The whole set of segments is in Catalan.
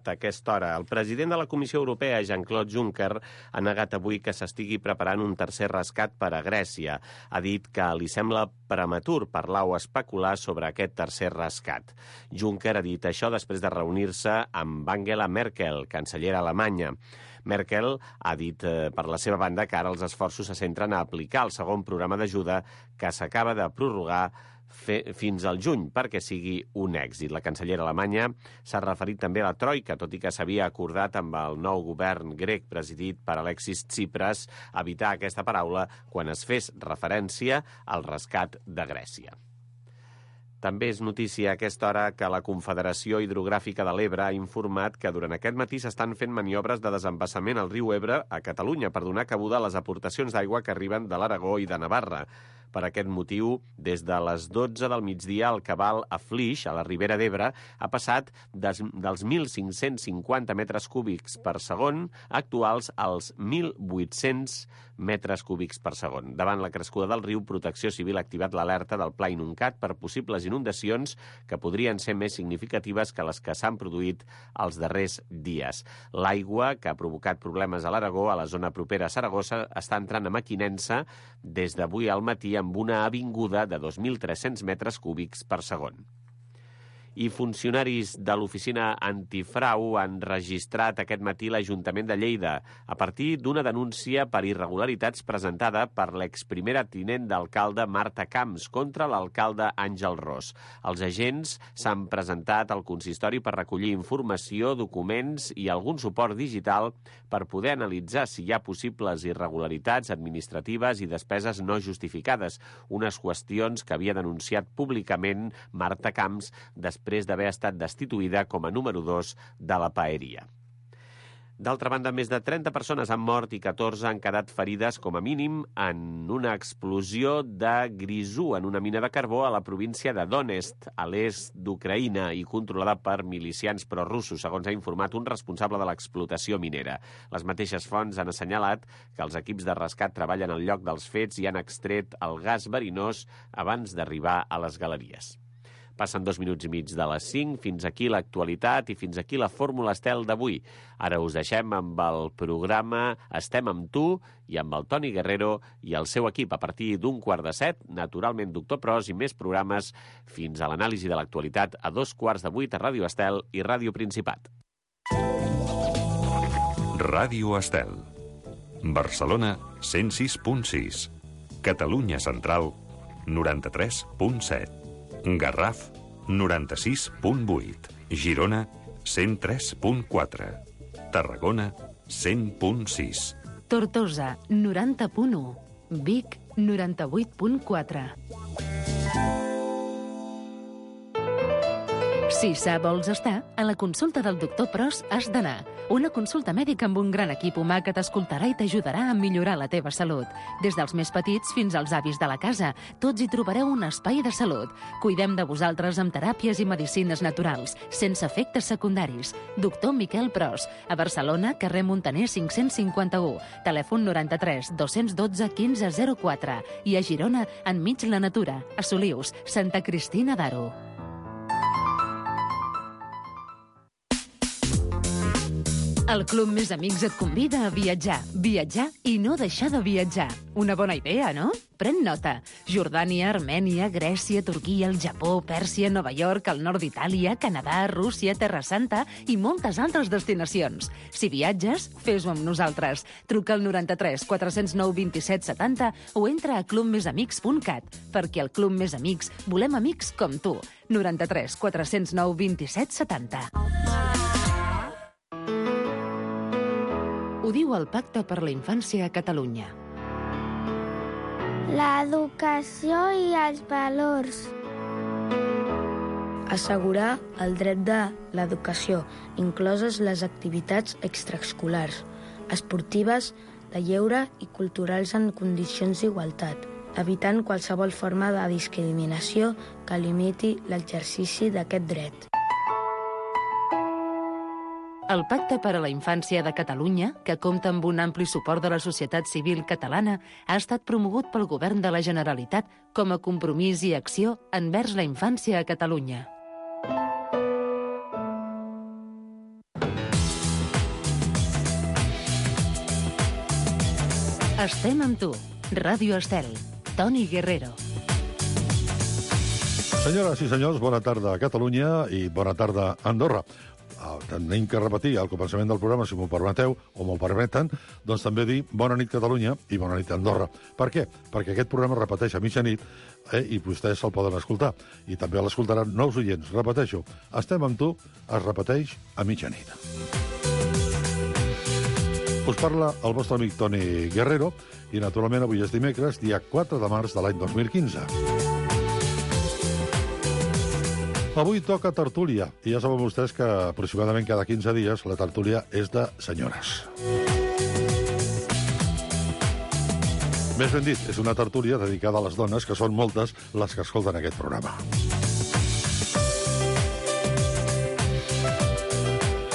actualitat a aquesta hora. El president de la Comissió Europea, Jean-Claude Juncker, ha negat avui que s'estigui preparant un tercer rescat per a Grècia. Ha dit que li sembla prematur parlar o especular sobre aquest tercer rescat. Juncker ha dit això després de reunir-se amb Angela Merkel, cancellera alemanya. Merkel ha dit per la seva banda que ara els esforços se centren a aplicar el segon programa d'ajuda que s'acaba de prorrogar fins al juny perquè sigui un èxit. La cancellera alemanya s'ha referit també a la troika, tot i que s'havia acordat amb el nou govern grec presidit per Alexis Tsipras evitar aquesta paraula quan es fes referència al rescat de Grècia. També és notícia a aquesta hora que la Confederació Hidrogràfica de l'Ebre ha informat que durant aquest matí s'estan fent maniobres de desembassament al riu Ebre a Catalunya per donar cabuda a les aportacions d'aigua que arriben de l'Aragó i de Navarra. Per aquest motiu, des de les 12 del migdia, el cabal a Flix, a la Ribera d'Ebre, ha passat dels 1.550 metres cúbics per segon actuals als 1.800 metres cúbics per segon. Davant la crescuda del riu, Protecció Civil ha activat l'alerta del Pla Inuncat per possibles inundacions que podrien ser més significatives que les que s'han produït els darrers dies. L'aigua, que ha provocat problemes a l'Aragó, a la zona propera a Saragossa, està entrant a Mequinensa des d'avui al matí amb una avinguda de 2.300 metres cúbics per segon. I funcionaris de l'oficina antifrau han registrat aquest matí l'Ajuntament de Lleida a partir d'una denúncia per irregularitats presentada per l'exprimera tinent d'alcalde Marta Camps contra l'alcalde Àngel Ros. Els agents s'han presentat al consistori per recollir informació, documents i algun suport digital per poder analitzar si hi ha possibles irregularitats administratives i despeses no justificades, unes qüestions que havia denunciat públicament Marta Camps després d'haver estat destituïda com a número 2 de la paeria. D'altra banda, més de 30 persones han mort i 14 han quedat ferides com a mínim en una explosió de grisú en una mina de carbó a la província de Donetsk, a l'est d'Ucraïna i controlada per milicians prorussos, segons ha informat un responsable de l'explotació minera. Les mateixes fonts han assenyalat que els equips de rescat treballen al lloc dels fets i han extret el gas verinós abans d'arribar a les galeries. Passen 2 minuts i mig de les 5, fins aquí l'actualitat i fins aquí la Fórmula Estel d'avui. Ara us deixem amb el programa Estem amb tu i amb el Toni Guerrero i el seu equip a partir d'7:15, naturalment Doctor Pros i més programes fins a l'anàlisi de l'actualitat a 7:15 a Ràdio Estel i Ràdio Principat. Ràdio Estel. Barcelona 106.6. Catalunya Central 93.7. Garraf, 96.8. Girona, 103.4. Tarragona, 100.6. Tortosa, 90.1. Vic, 98.4. Si sa vols estar, a la consulta del doctor Pros has d'anar. Una consulta mèdica amb un gran equip humà que t'escoltarà i t'ajudarà a millorar la teva salut. Des dels més petits fins als avis de la casa, tots hi trobareu un espai de salut. Cuidem de vosaltres amb teràpies i medicines naturals, sense efectes secundaris. Doctor Miquel Pros, a Barcelona, carrer Montaner 551, telèfon 93 212 1504 i a Girona, enmig la natura, a Solius, Santa Cristina d'Aro. El Club Més Amics et convida a viatjar. Viatjar i no deixar de viatjar. Una bona idea, no? Pren nota. Jordània, Armènia, Grècia, Turquia, el Japó, Pèrsia, Nova York, el nord d'Itàlia, Canadà, Rússia, Terra Santa i moltes altres destinacions. Si viatges, fes-ho amb nosaltres. Truca al 93 409 27 70 o entra a clubmesamics.cat, perquè al Club Més Amics volem amics com tu. 93 409 27 70. Ho diu el Pacte per la Infància a Catalunya. L'educació i els valors. Assegurar el dret de l'educació, incloses les activitats extraescolars, esportives, de lleure i culturals en condicions d'igualtat, evitant qualsevol forma de discriminació que limiti l'exercici d'aquest dret. El Pacte per a la Infància de Catalunya, que compta amb un ampli suport de la societat civil catalana, ha estat promogut pel Govern de la Generalitat com a compromís i acció envers la infància a Catalunya. Estem amb tu. Ràdio Estel. Toni Guerrero. Senyores i senyors, bona tarda a Catalunya i bona tarda a Andorra. Tenim que repetir al començament del programa, si m'ho permeteu, o m'ho permeten, doncs també dir bona nit Catalunya i bona nit Andorra. Per què? Perquè aquest programa es repeteix a mitjanit i vostès se'l poden escoltar. I també l'escoltaran nous oients. Repeteixo, Estem amb tu, es repeteix a mitjanit. Us parla el vostre amic Toni Guerrero i, naturalment, avui és dimecres, dia 4 de març de l'any 2015. Avui toca tertúlia, i ja saben vostès que aproximadament cada 15 dies la tertúlia és de senyores. Més ben dit, és una tertúlia dedicada a les dones, que són moltes les que escolten aquest programa.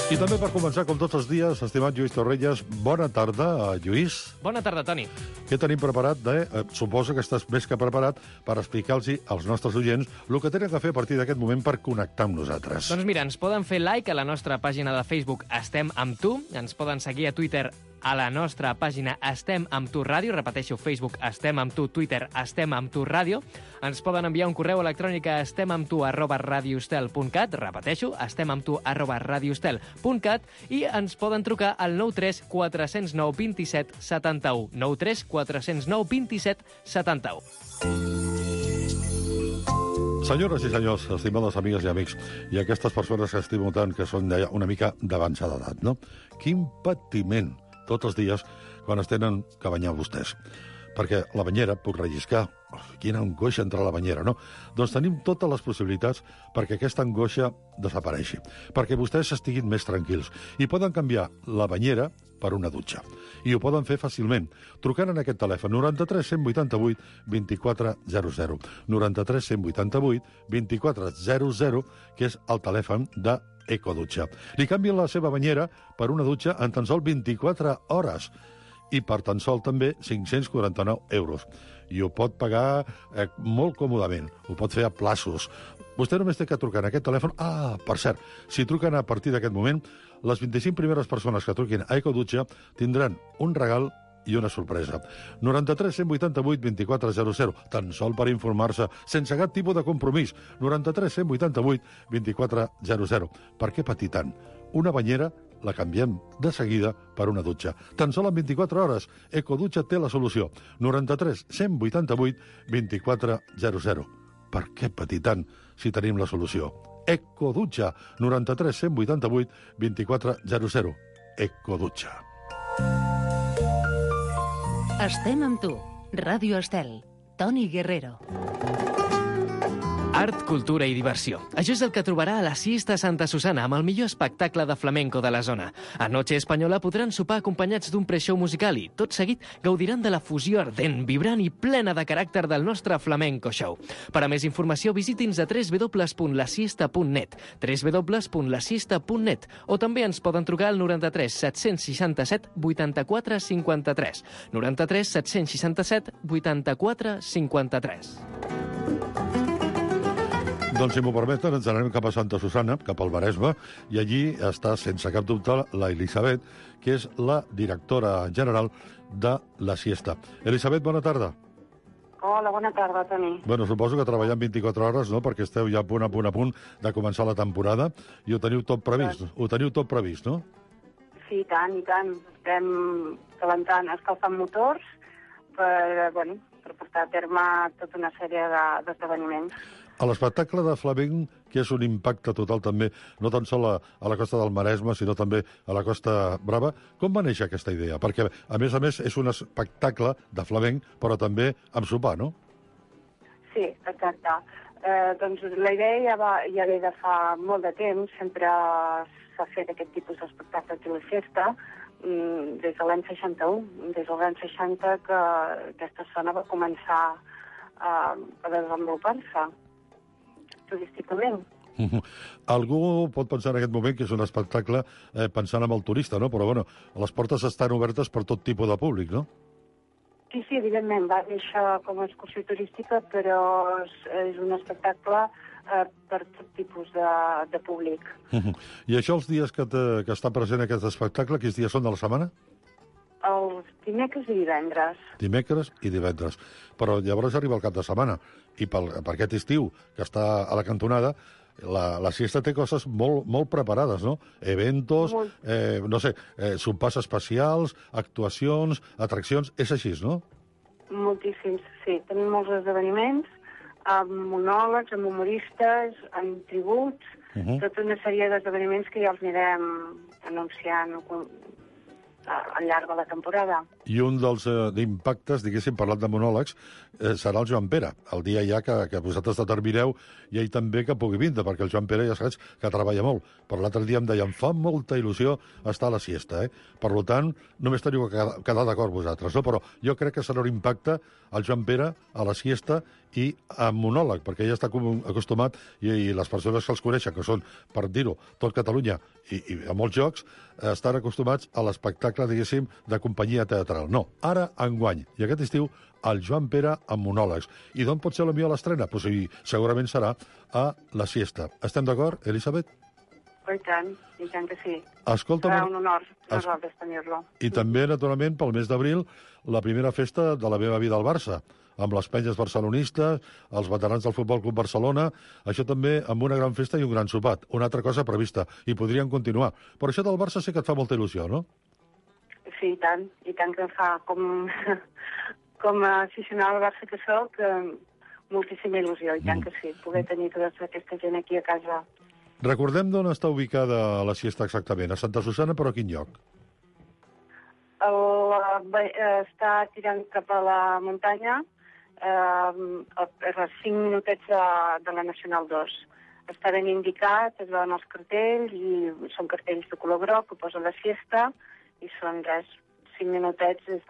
I també per començar, com tots els dies, estimat Lluís Torrelles, bona tarda, Lluís. Bona tarda, Toni. Què tenim preparat? Suposo que estàs més que preparat per explicar-los als nostres oients el que tenen que fer a partir d'aquest moment per connectar amb nosaltres. Doncs mira, ens poden fer like a la nostra pàgina de Facebook Estem amb tu, ens poden seguir a Twitter a la nostra pàgina Estem amb tu ràdio, repeteixo, Facebook Estem amb tu, Twitter Estem amb tu ràdio, ens poden enviar un correu electrònic a estemamtu@radiostel.cat, repeteixo, estemamtu@radiostel.cat, i ens poden trucar al 93 409 27 71, 93 409 27 71. Senyores i senyors, estimades amigues i amics, i aquestes persones que estimo tant, que són una mica d'avançada edat, no? Quin patiment tots els dies quan es tenen que banyar vostès. Perquè la banyera puc relliscar. Quina angoixa entrar a la banyera, no? Doncs tenim totes les possibilitats perquè aquesta angoixa desapareixi, perquè vostès estiguin més tranquils i poden canviar la banyera per una dutxa. I ho poden fer fàcilment, trucant en aquest telèfon 93 188 2400. 93 188 2400, que és el telèfon de Ecodutxa. Li canvien la seva banyera per una dutxa en tan sol 24 hores i per tan sol també 549 euros. I ho pot pagar molt còmodament, ho pot fer a plaços. Vostè només té que trucar en aquest telèfon. Per cert, si truquen a partir d'aquest moment, les 25 primeres persones que truquin a Ecodutxa tindran un regal i una sorpresa. 93 188 2400, tan sol per informar-se, sense cap tipus de compromís. 93 188 2400. Per què patir tant? Una banyera la canviem de seguida per una dutxa. Tan sol en 24 hores, Ecodutxa té la solució. 93 188 2400. Per què patir tant si tenim la solució? Ecodutxa, 93 188 2400. Ecodutxa. Estem amb tu. Ràdio Estel. Toni Guerrero. Art, cultura i diversió. Això és el que trobarà a la Siesta Santa Susana, amb el millor espectacle de flamenco de la zona. A Noche Espanyola podran sopar acompanyats d'un pre-show musical i, tot seguit, gaudiran de la fusió ardent, vibrant i plena de caràcter del nostre flamenco show. Per a més informació, visiti'ns a www.lasiesta.net, www.lasiesta.net, o també ens poden trucar al 93 767 84 53, 93 767 84 53. Doncs, si m'ho permeten, ens anem cap a Santa Susana, cap al Maresme, i allí està, sense cap dubte, la Elisabet, que és la directora general de la Siesta. Elisabet, bona tarda. Hola, bona tarda, Toni. Bueno, suposo que treballant 24 hores, no?, perquè esteu ja a punt de començar la temporada, i ho teniu tot previst, no? Sí, i tant. Estem calentant, escalfant motors per portar a terme tota una sèrie d'esdeveniments. A l'espectacle de flamenc, que és un impacte total també, no tan sol a la costa del Maresme, sinó també a la Costa Brava, com va néixer aquesta idea? Perquè, a més, és un espectacle de flamenc, però també amb sopar, no? Sí, exacte. Doncs la idea ja ve de fa molt de temps, sempre s'ha fet aquest tipus d'espectacle de la festa, des de l'any 61, des de l'any 60 que aquesta zona va començar a desenvolupar-se turísticament. Algú pot pensar en aquest moment que és un espectacle pensant en el turista, no? Però, bueno, les portes estan obertes per tot tipus de públic, no? Sí, evidentment, va néixer com a excursió turística, però és un espectacle per tot tipus de públic. I això, els dies que està present aquest espectacle, quins dies són de la setmana? Els dimecres i divendres. Dimecres i divendres. Però llavors arriba el cap de setmana, i per aquest estiu, que està a la cantonada, la siesta té coses molt preparades, no? Eventos, no sé, sopars especials, actuacions, atraccions, és així, no? Moltíssims, sí. Tenim molts esdeveniments, amb monòlegs, amb humoristes, amb tributs, tota una sèrie d'esdeveniments que ja els anirem anunciant al llarg de la temporada. I un dels impactes, diguéssim, parlant de monòlegs, serà el Joan Pere. El dia ja que vosaltres determineu, i ell també que pugui vindre, perquè el Joan Pere ja saps que treballa molt. Però l'altre dia em deia, em fa molta il·lusió estar a la siesta, Per tant, només teniu que quedar d'acord vosaltres, no? Però jo crec que serà un impacte al Joan Pere a la siesta i amb monòleg, perquè ell està acostumat, i les persones que els coneixen, que són, per dir-ho, tot Catalunya i a molts jocs, estan acostumats a l'espectacle, diguéssim, de companyia teatral. No, ara, enguany, i aquest estiu, el Joan Pere amb monòlegs. I d'on pot ser la millor l'estrena? Pues sí, segurament serà a la siesta. Estem d'acord, Elisabet? I tant que sí. Escolta'm, serà un honor nosaltres tenir-lo. I també, naturalment, pel mes d'abril, la primera festa de la meva vida al Barça, amb les penyes barcelonistes, els veterans del Futbol Club Barcelona, això també amb una gran festa i un gran sopat. Una altra cosa prevista, i podríem continuar. Però això del Barça sí que et fa molta il·lusió, no? Sí, i tant que em fa, com a aficionada al Barça que soc, moltíssima il·lusió, i tant que sí, poder tenir tota aquesta gent aquí a casa. Recordem d'on està ubicada la siesta exactament. A Santa Susana, però a quin lloc? Està tirant cap a la muntanya, a 5 minutets de la Nacional 2. Està ben indicat, es veuen els cartells, i són cartells de color groc que posa la siesta, i són 5 minutets des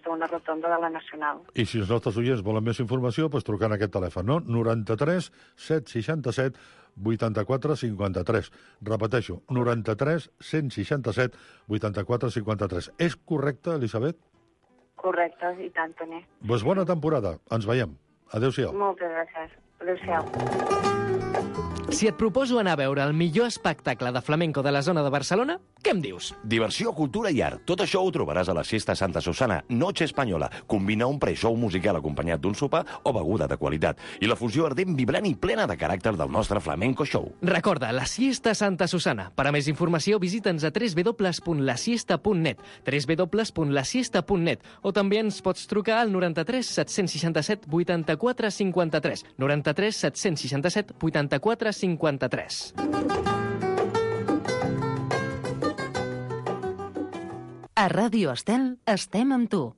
d'una rotonda de la Nacional. I si els nostres oients volen més informació, doncs trucant a aquest telèfon, no? 93 767 84 53. Repeteixo, 93 167 84 53. És correcte, Elisabet? Correcte, i tant, Toni. Doncs bona temporada. Ens veiem. Adéu-siau. Moltes gràcies. Adéu-siau. Si et proposo anar a veure el millor espectacle de flamenco de la zona de Barcelona, què em dius? Diversió, cultura i art. Tot això ho trobaràs a la Siesta Santa Susana, Noche Espanyola. Combina un pre-show musical acompanyat d'un sopar o beguda de qualitat. I la fusió ardent, vibrant i plena de caràcter del nostre flamenco show. Recorda, la Siesta Santa Susana. Per a més informació, visita'ns a www.lasiesta.net, www.lasiesta.net, o també ens pots trucar al 93 767 84 53, 93 767 84 53. A Ràdio Estel estem amb tu.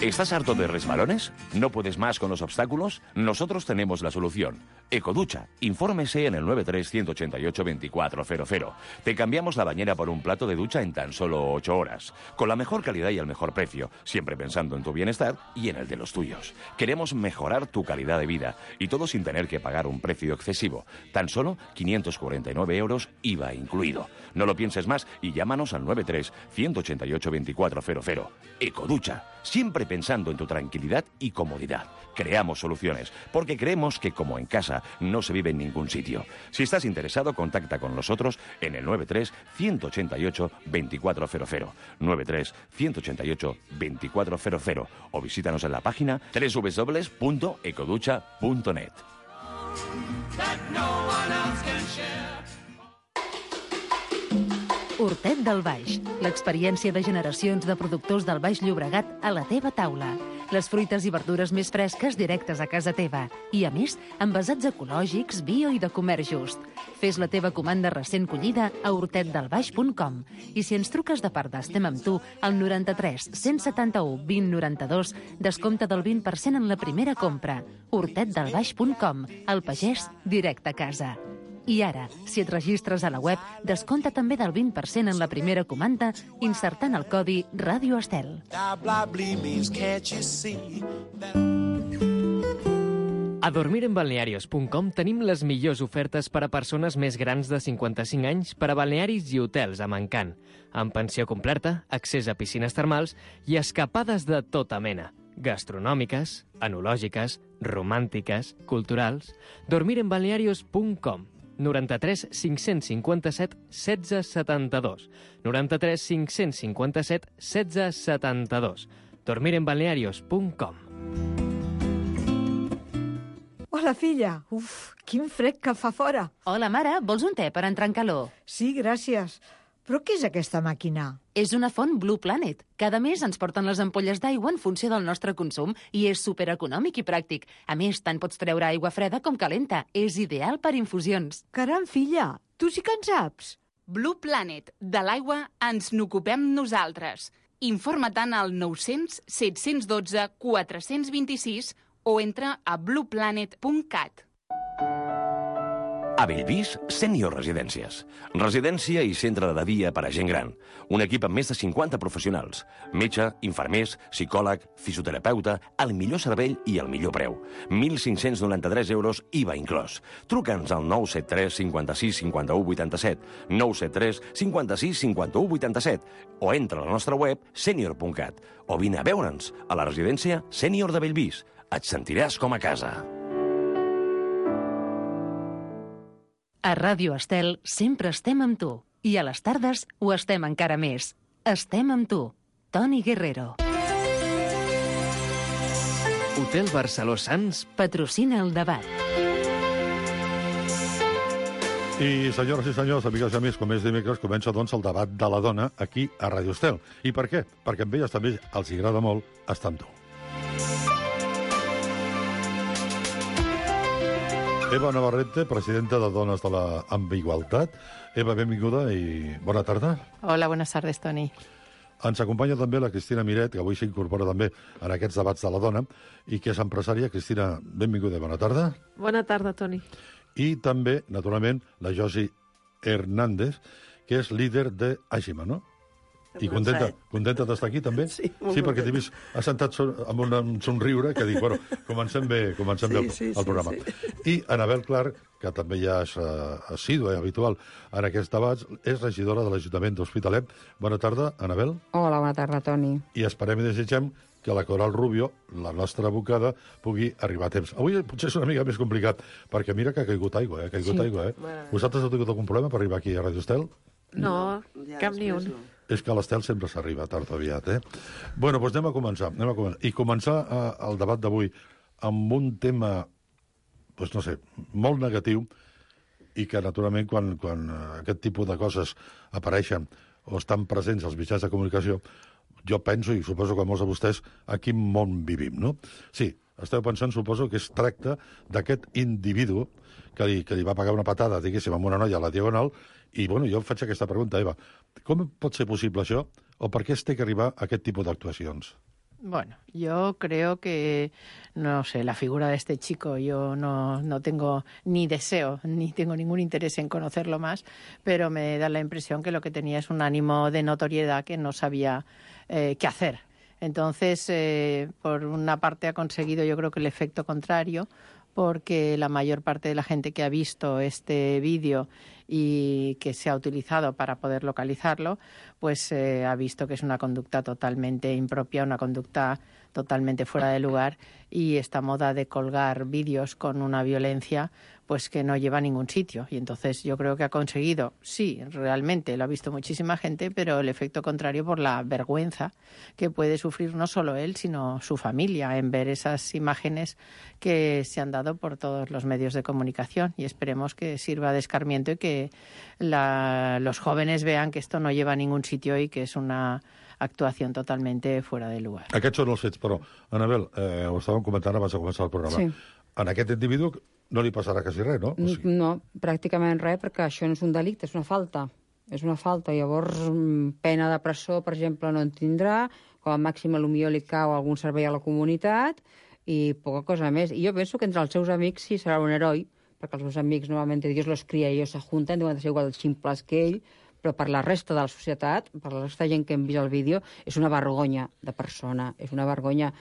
¿Estás harto de resbalones? ¿No puedes más con los obstáculos? Nosotros tenemos la solución. Ecoducha. Infórmese en el 93-188-2400. Te cambiamos la bañera por un plato de ducha en tan solo 8 horas. Con la mejor calidad y el mejor precio. Siempre pensando en tu bienestar y en el de los tuyos. Queremos mejorar tu calidad de vida. Y todo sin tener que pagar un precio excesivo. Tan solo 549 euros IVA incluido. No lo pienses más y llámanos al 93-188-2400. Ecoducha. Siempre pensando en tu tranquilidad y comodidad. Creamos soluciones, porque creemos que como en casa no se vive en ningún sitio. Si estás interesado, contacta con nosotros en el 93-188-2400, 93-188-2400 o visítanos en la página www.ecoducha.net. Hortet del Baix, l'experiència de generacions de productors del Baix Llobregat a la teva taula. Les fruites i verdures més fresques directes a casa teva. I, a més, envasats ecològics, bio i de comerç just. Fes la teva comanda recent collida a hortetdelbaix.com. I si ens truques de part d'Estem amb tu, al 93 171 20 92, descompte del 20% en la primera compra. hortetdelbaix.com. El pagès directe a casa. I ara, si et registres a la web, descompta també del 20% en la primera comanda insertant el codi Ràdio Estel. A dormirenbalnearios.com tenim les millors ofertes per a persones més grans de 55 anys per a balnearis i hotels amb encant, amb pensió completa, accés a piscines termals i escapades de tota mena. Gastronòmiques, enològiques, romàntiques, culturals. dormirenbalnearios.com. 93 557 16 72. 93 557 16 72. dormirenbalnearios.com. Hola, filla. Uf, quin fred que fa fora. Hola, mare, vols un te per entrar en calor? Sí, gràcies. Però què és aquesta màquina? És una font Blue Planet. Cada mes ens porten les ampolles d'aigua en funció del nostre consum i és supereconòmic i pràctic. A més, tant pots treure aigua freda com calenta. És ideal per infusions. Caram, filla, tu sí que en saps. Blue Planet. De l'aigua ens n'ocupem nosaltres. Informa-te'n al 900 712 426 o entra a blueplanet.cat. A Bellvís, Sènior Residències. Residència i centre de dia per a gent gran. Un equip amb més de 50 professionals. Metge, infermers, psicòleg, fisioterapeuta, el millor servei i el millor preu. 1.593 euros, IVA inclòs. Truca'ns al 973 56 51 87, 973 56 51 87 o entra a la nostra web senior.cat o vine a veure'ns a la residència Sènior de Bellvís. Et sentiràs com a casa. A Ràdio Estel sempre estem amb tu. I a les tardes ho estem encara més. Estem amb tu. Toni Guerrero. Hotel Barceló Sants patrocina el debat. I, senyores i senyors, amigues i amics, com és dimecres, comença, doncs, el debat de la dona aquí a Ràdio Estel. I per què? Perquè amb elles també els agrada molt estar amb tu. Eva Navarrete, presidenta de Dones de la Ambigualtat. Eva, benvinguda i bona tarda. Hola, buenas tardes, Toni. Ens acompanya també la Cristina Miret, que avui s'incorpora també en aquests debats de la dona, i que és empresària. Cristina, benvinguda i bona tarda. Bona tarda, Toni. I també, naturalment, la Josi Hernández, que és líder de Àgima, no? I contenta d'estar aquí, també? Sí, sí, perquè t'he vist assentat amb un somriure que dic, bueno, comencem bé el programa. Sí. I Anabel Clark, que també ja és assídua i habitual en aquests debats, és regidora de l'Ajuntament d'Hospitalet. Bona tarda, Anabel. Hola, bona tarda, Toni. I esperem i desitgem que la Coral Rubio, la nostra abocada, pugui arribar a temps. Avui potser és una mica més complicat, perquè mira que ha caigut aigua, aigua. Vosaltres heu tingut algun problema per arribar aquí a Radio Estel? No, cap ni un. És que a l'Estel sempre s'arriba tard o aviat, Bueno, doncs anem a començar. I començar el debat d'avui amb un tema, doncs no sé, molt negatiu, i que, naturalment, quan aquest tipus de coses apareixen o estan presents als mitjans de comunicació, jo penso, i suposo que molts de vostès, a quin món vivim, no? Sí, esteu pensant, suposo, que es tracta d'aquest individu que li va pagar una patada, diguéssim, amb una noia a la Diagonal, i, bueno, jo faig aquesta pregunta, Eva, com pot ser possible això, o per què es té que arribar a aquest tipus d'actuacions? Bueno, yo creo que, no sé, la figura de este chico, yo no tengo ni deseo, ni tengo ningún interés en conocerlo más, pero me da la impresión que lo que tenía es un ánimo de notoriedad que no sabía qué hacer. Entonces, por una parte ha conseguido, yo creo que el efecto contrario, porque la mayor parte de la gente que ha visto este vídeo y que se ha utilizado para poder localizarlo, pues ha visto que es una conducta totalmente impropia, una conducta totalmente fuera de lugar, y esta moda de colgar vídeos con una violencia pues que no lleva a ningún sitio. Y entonces yo creo que ha conseguido, sí, realmente lo ha visto muchísima gente, pero el efecto contrario por la vergüenza que puede sufrir no solo él, sino su familia en ver esas imágenes que se han dado por todos los medios de comunicación, y esperemos que sirva de escarmiento y que los jóvenes vean que esto no lleva a ningún sitio y que es una actuació totalment fora de lugar. Aquests són els fets, però, Anabel, ho estàvem comentant abans de començar el programa. Sí. En aquest individu no li passarà quasi res, no? O sigui... No, pràcticament res, perquè això no és un delicte, és una falta. És una falta. Llavors, pena de presó, per exemple, no en tindrà, com a màxim potser li cau algun servei a la comunitat i poca cosa més. I jo penso que entre els seus amics sí serà un heroi, perquè els seus amics normalment Dios los cría i ellos se juntan, deuen ser igual de ximples que ell, però per la resta de la societat, per la resta de gent que hem vist el vídeo, és una vergonya de persona, és una vergonya,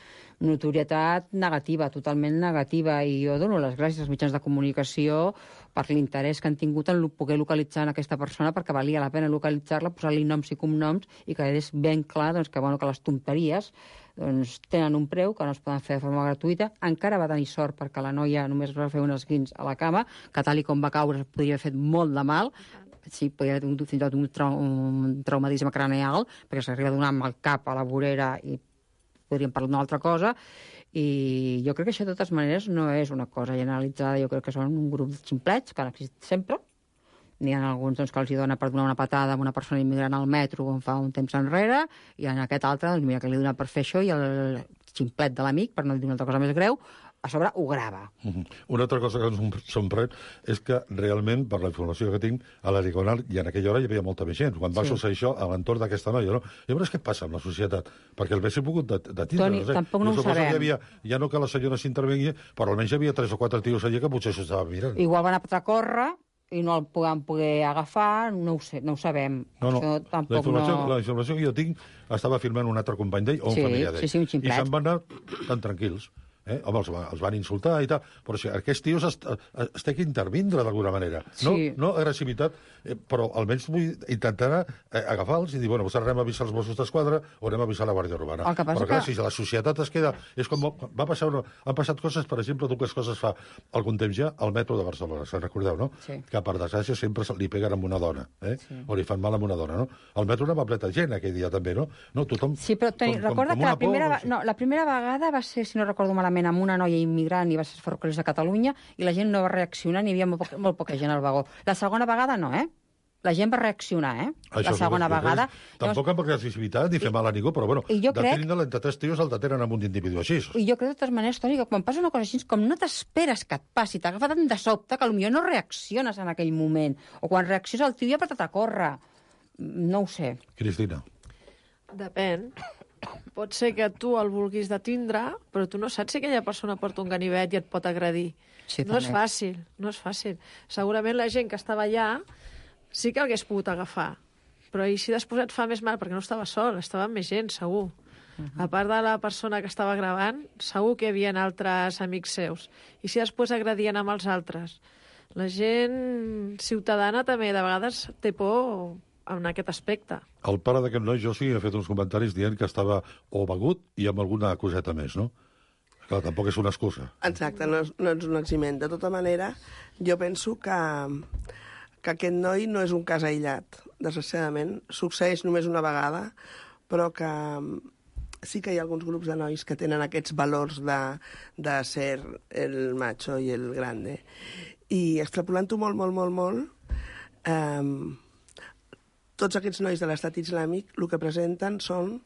notorietat negativa, totalment negativa, i jo dono les gràcies als mitjans de comunicació per l'interès que han tingut en poder localitzar aquesta persona, perquè valia la pena localitzar-la, posar-li noms i cognoms, i que és ben clar doncs, que les tonteries doncs, tenen un preu, que no es poden fer de forma gratuïta. Encara va tenir sort perquè la noia només va fer un esguins a la cama, que tal i com va caure podria haver fet molt de mal, sí, podria haver tingut fins i tot un traumatisme craneal, perquè s'arriba a donar amb el cap a la vorera i podríem parlar d'una altra cosa, i jo crec que això de totes maneres no és una cosa generalitzada, jo crec que són un grup de ximplets que han existit sempre. N'hi ha alguns doncs, que els hi dona per donar una patada a una persona immigrant al metro on fa un temps enrere, i en aquest altre, doncs mira que li dona per fer això, i el ximplet de l'amic, per no dir una altra cosa més greu, a sobre ho grava. Una altra cosa que ens sorprèn és que realment, per la informació que tinc, a la Diagonal, i en aquella hora hi havia molta més gent, quan va succeir això a l'entorn d'aquesta noia, no? Llavors, què passa amb la societat? Perquè el haguéssim pogut detindre. Toni, tampoc no ho sabem. Ja no que la senyora s'intervengui, però almenys hi havia 3 o 4 tios allà que potser s'ho estava mirant. Igual van a córrer i no el podem poder agafar, no ho sé, no ho sabem. No. La informació que jo tinc estava filmant un altre company d'ell o un familiar d'ell. Un ximplet. I se'n van anar tan tranquils. Home, els van insultar i tal, però si aquests tios es té que intervindre d'alguna manera. No agressivitat, però almenys vull intentar agafar-los i dir, bueno, anem a avisar els Mossos d'Esquadra o anem a avisar la Guàrdia Urbana. Però clar, si la societat es queda... És com va passar han passat coses, per exemple, dues coses fa algun temps ja al metro de Barcelona, se'n recordeu, no? Sí. Que per desgràcia sempre li peguen amb una dona, o li fan mal amb una dona, no? Al metro anava pleta gent aquell dia també, no? Tothom... Sí, però Toni, recorda que la primera vegada va ser, si no recordo malament, amb una noia immigrant i va ser Ferrocarrils de Catalunya i la gent no va reaccionar, n'hi havia molt poca gent al vagó. La segona vegada no, La gent va reaccionar, La segona vegada... Tampoc amb agressivitat ni fer mal a ningú, però bueno, detenint entre 3 tios el detenen amb un individu així. I jo crec de totes maneres, Toni, que quan passa una cosa així, com no t'esperes que et passi, t'agafa tant de sobte que potser no reacciones en aquell moment. O quan reacciones el tio ja ha apretat a córrer. No ho sé. Cristina. Depèn. Pot ser que tu el vulguis detindre, però tu no saps si aquella persona porta un ganivet i et pot agredir. Sí, no és fàcil, no és fàcil. Segurament la gent que estava allà sí que l'hagués pogut agafar, però i si després et fa més mal, perquè no estava sol, estava amb més gent, segur. A part de la persona que estava gravant, segur que hi havia altres amics seus. I si després agredien amb els altres. La gent ciutadana també de vegades té por en aquest aspecte. El pare d'aquest noi, Josi, ha fet uns comentaris dient que estava o begut i amb alguna coseta més, no? Clar, tampoc és una excusa. Exacte, no és un eximent. De tota manera, jo penso que aquest noi no és un cas aïllat, desgraciadament. Succeeix només una vegada, però que sí que hi ha alguns grups de nois que tenen aquests valors de ser el macho i el grande. I extrapolant-ho molt, tots aquests nois de l'estat islàmic el que presenten són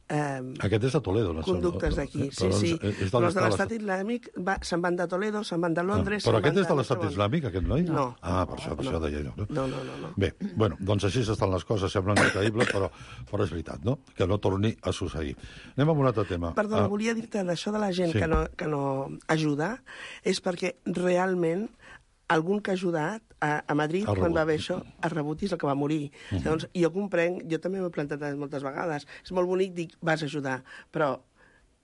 aquest és de Toledo, no? Conductes d'aquí, sí. Però els de l'estat islàmic se'n van de Toledo, se'n van de Londres... Però aquest és de l'estat islàmic, aquest noi? No. Ah, per això deia jo. No. Bé, bueno, doncs així estan les coses, semblen increïbles, però és veritat, no? Que no torni a succeir. Anem amb un altre tema. Perdona, volia dir-te d'això de la gent que no ajuda, és perquè realment algun que ha ajudat a Madrid, quan va haver això, a rebut és el que va morir. Llavors, jo comprenc, jo també m'he plantat moltes vegades. És molt bonic dir, vas ajudar, però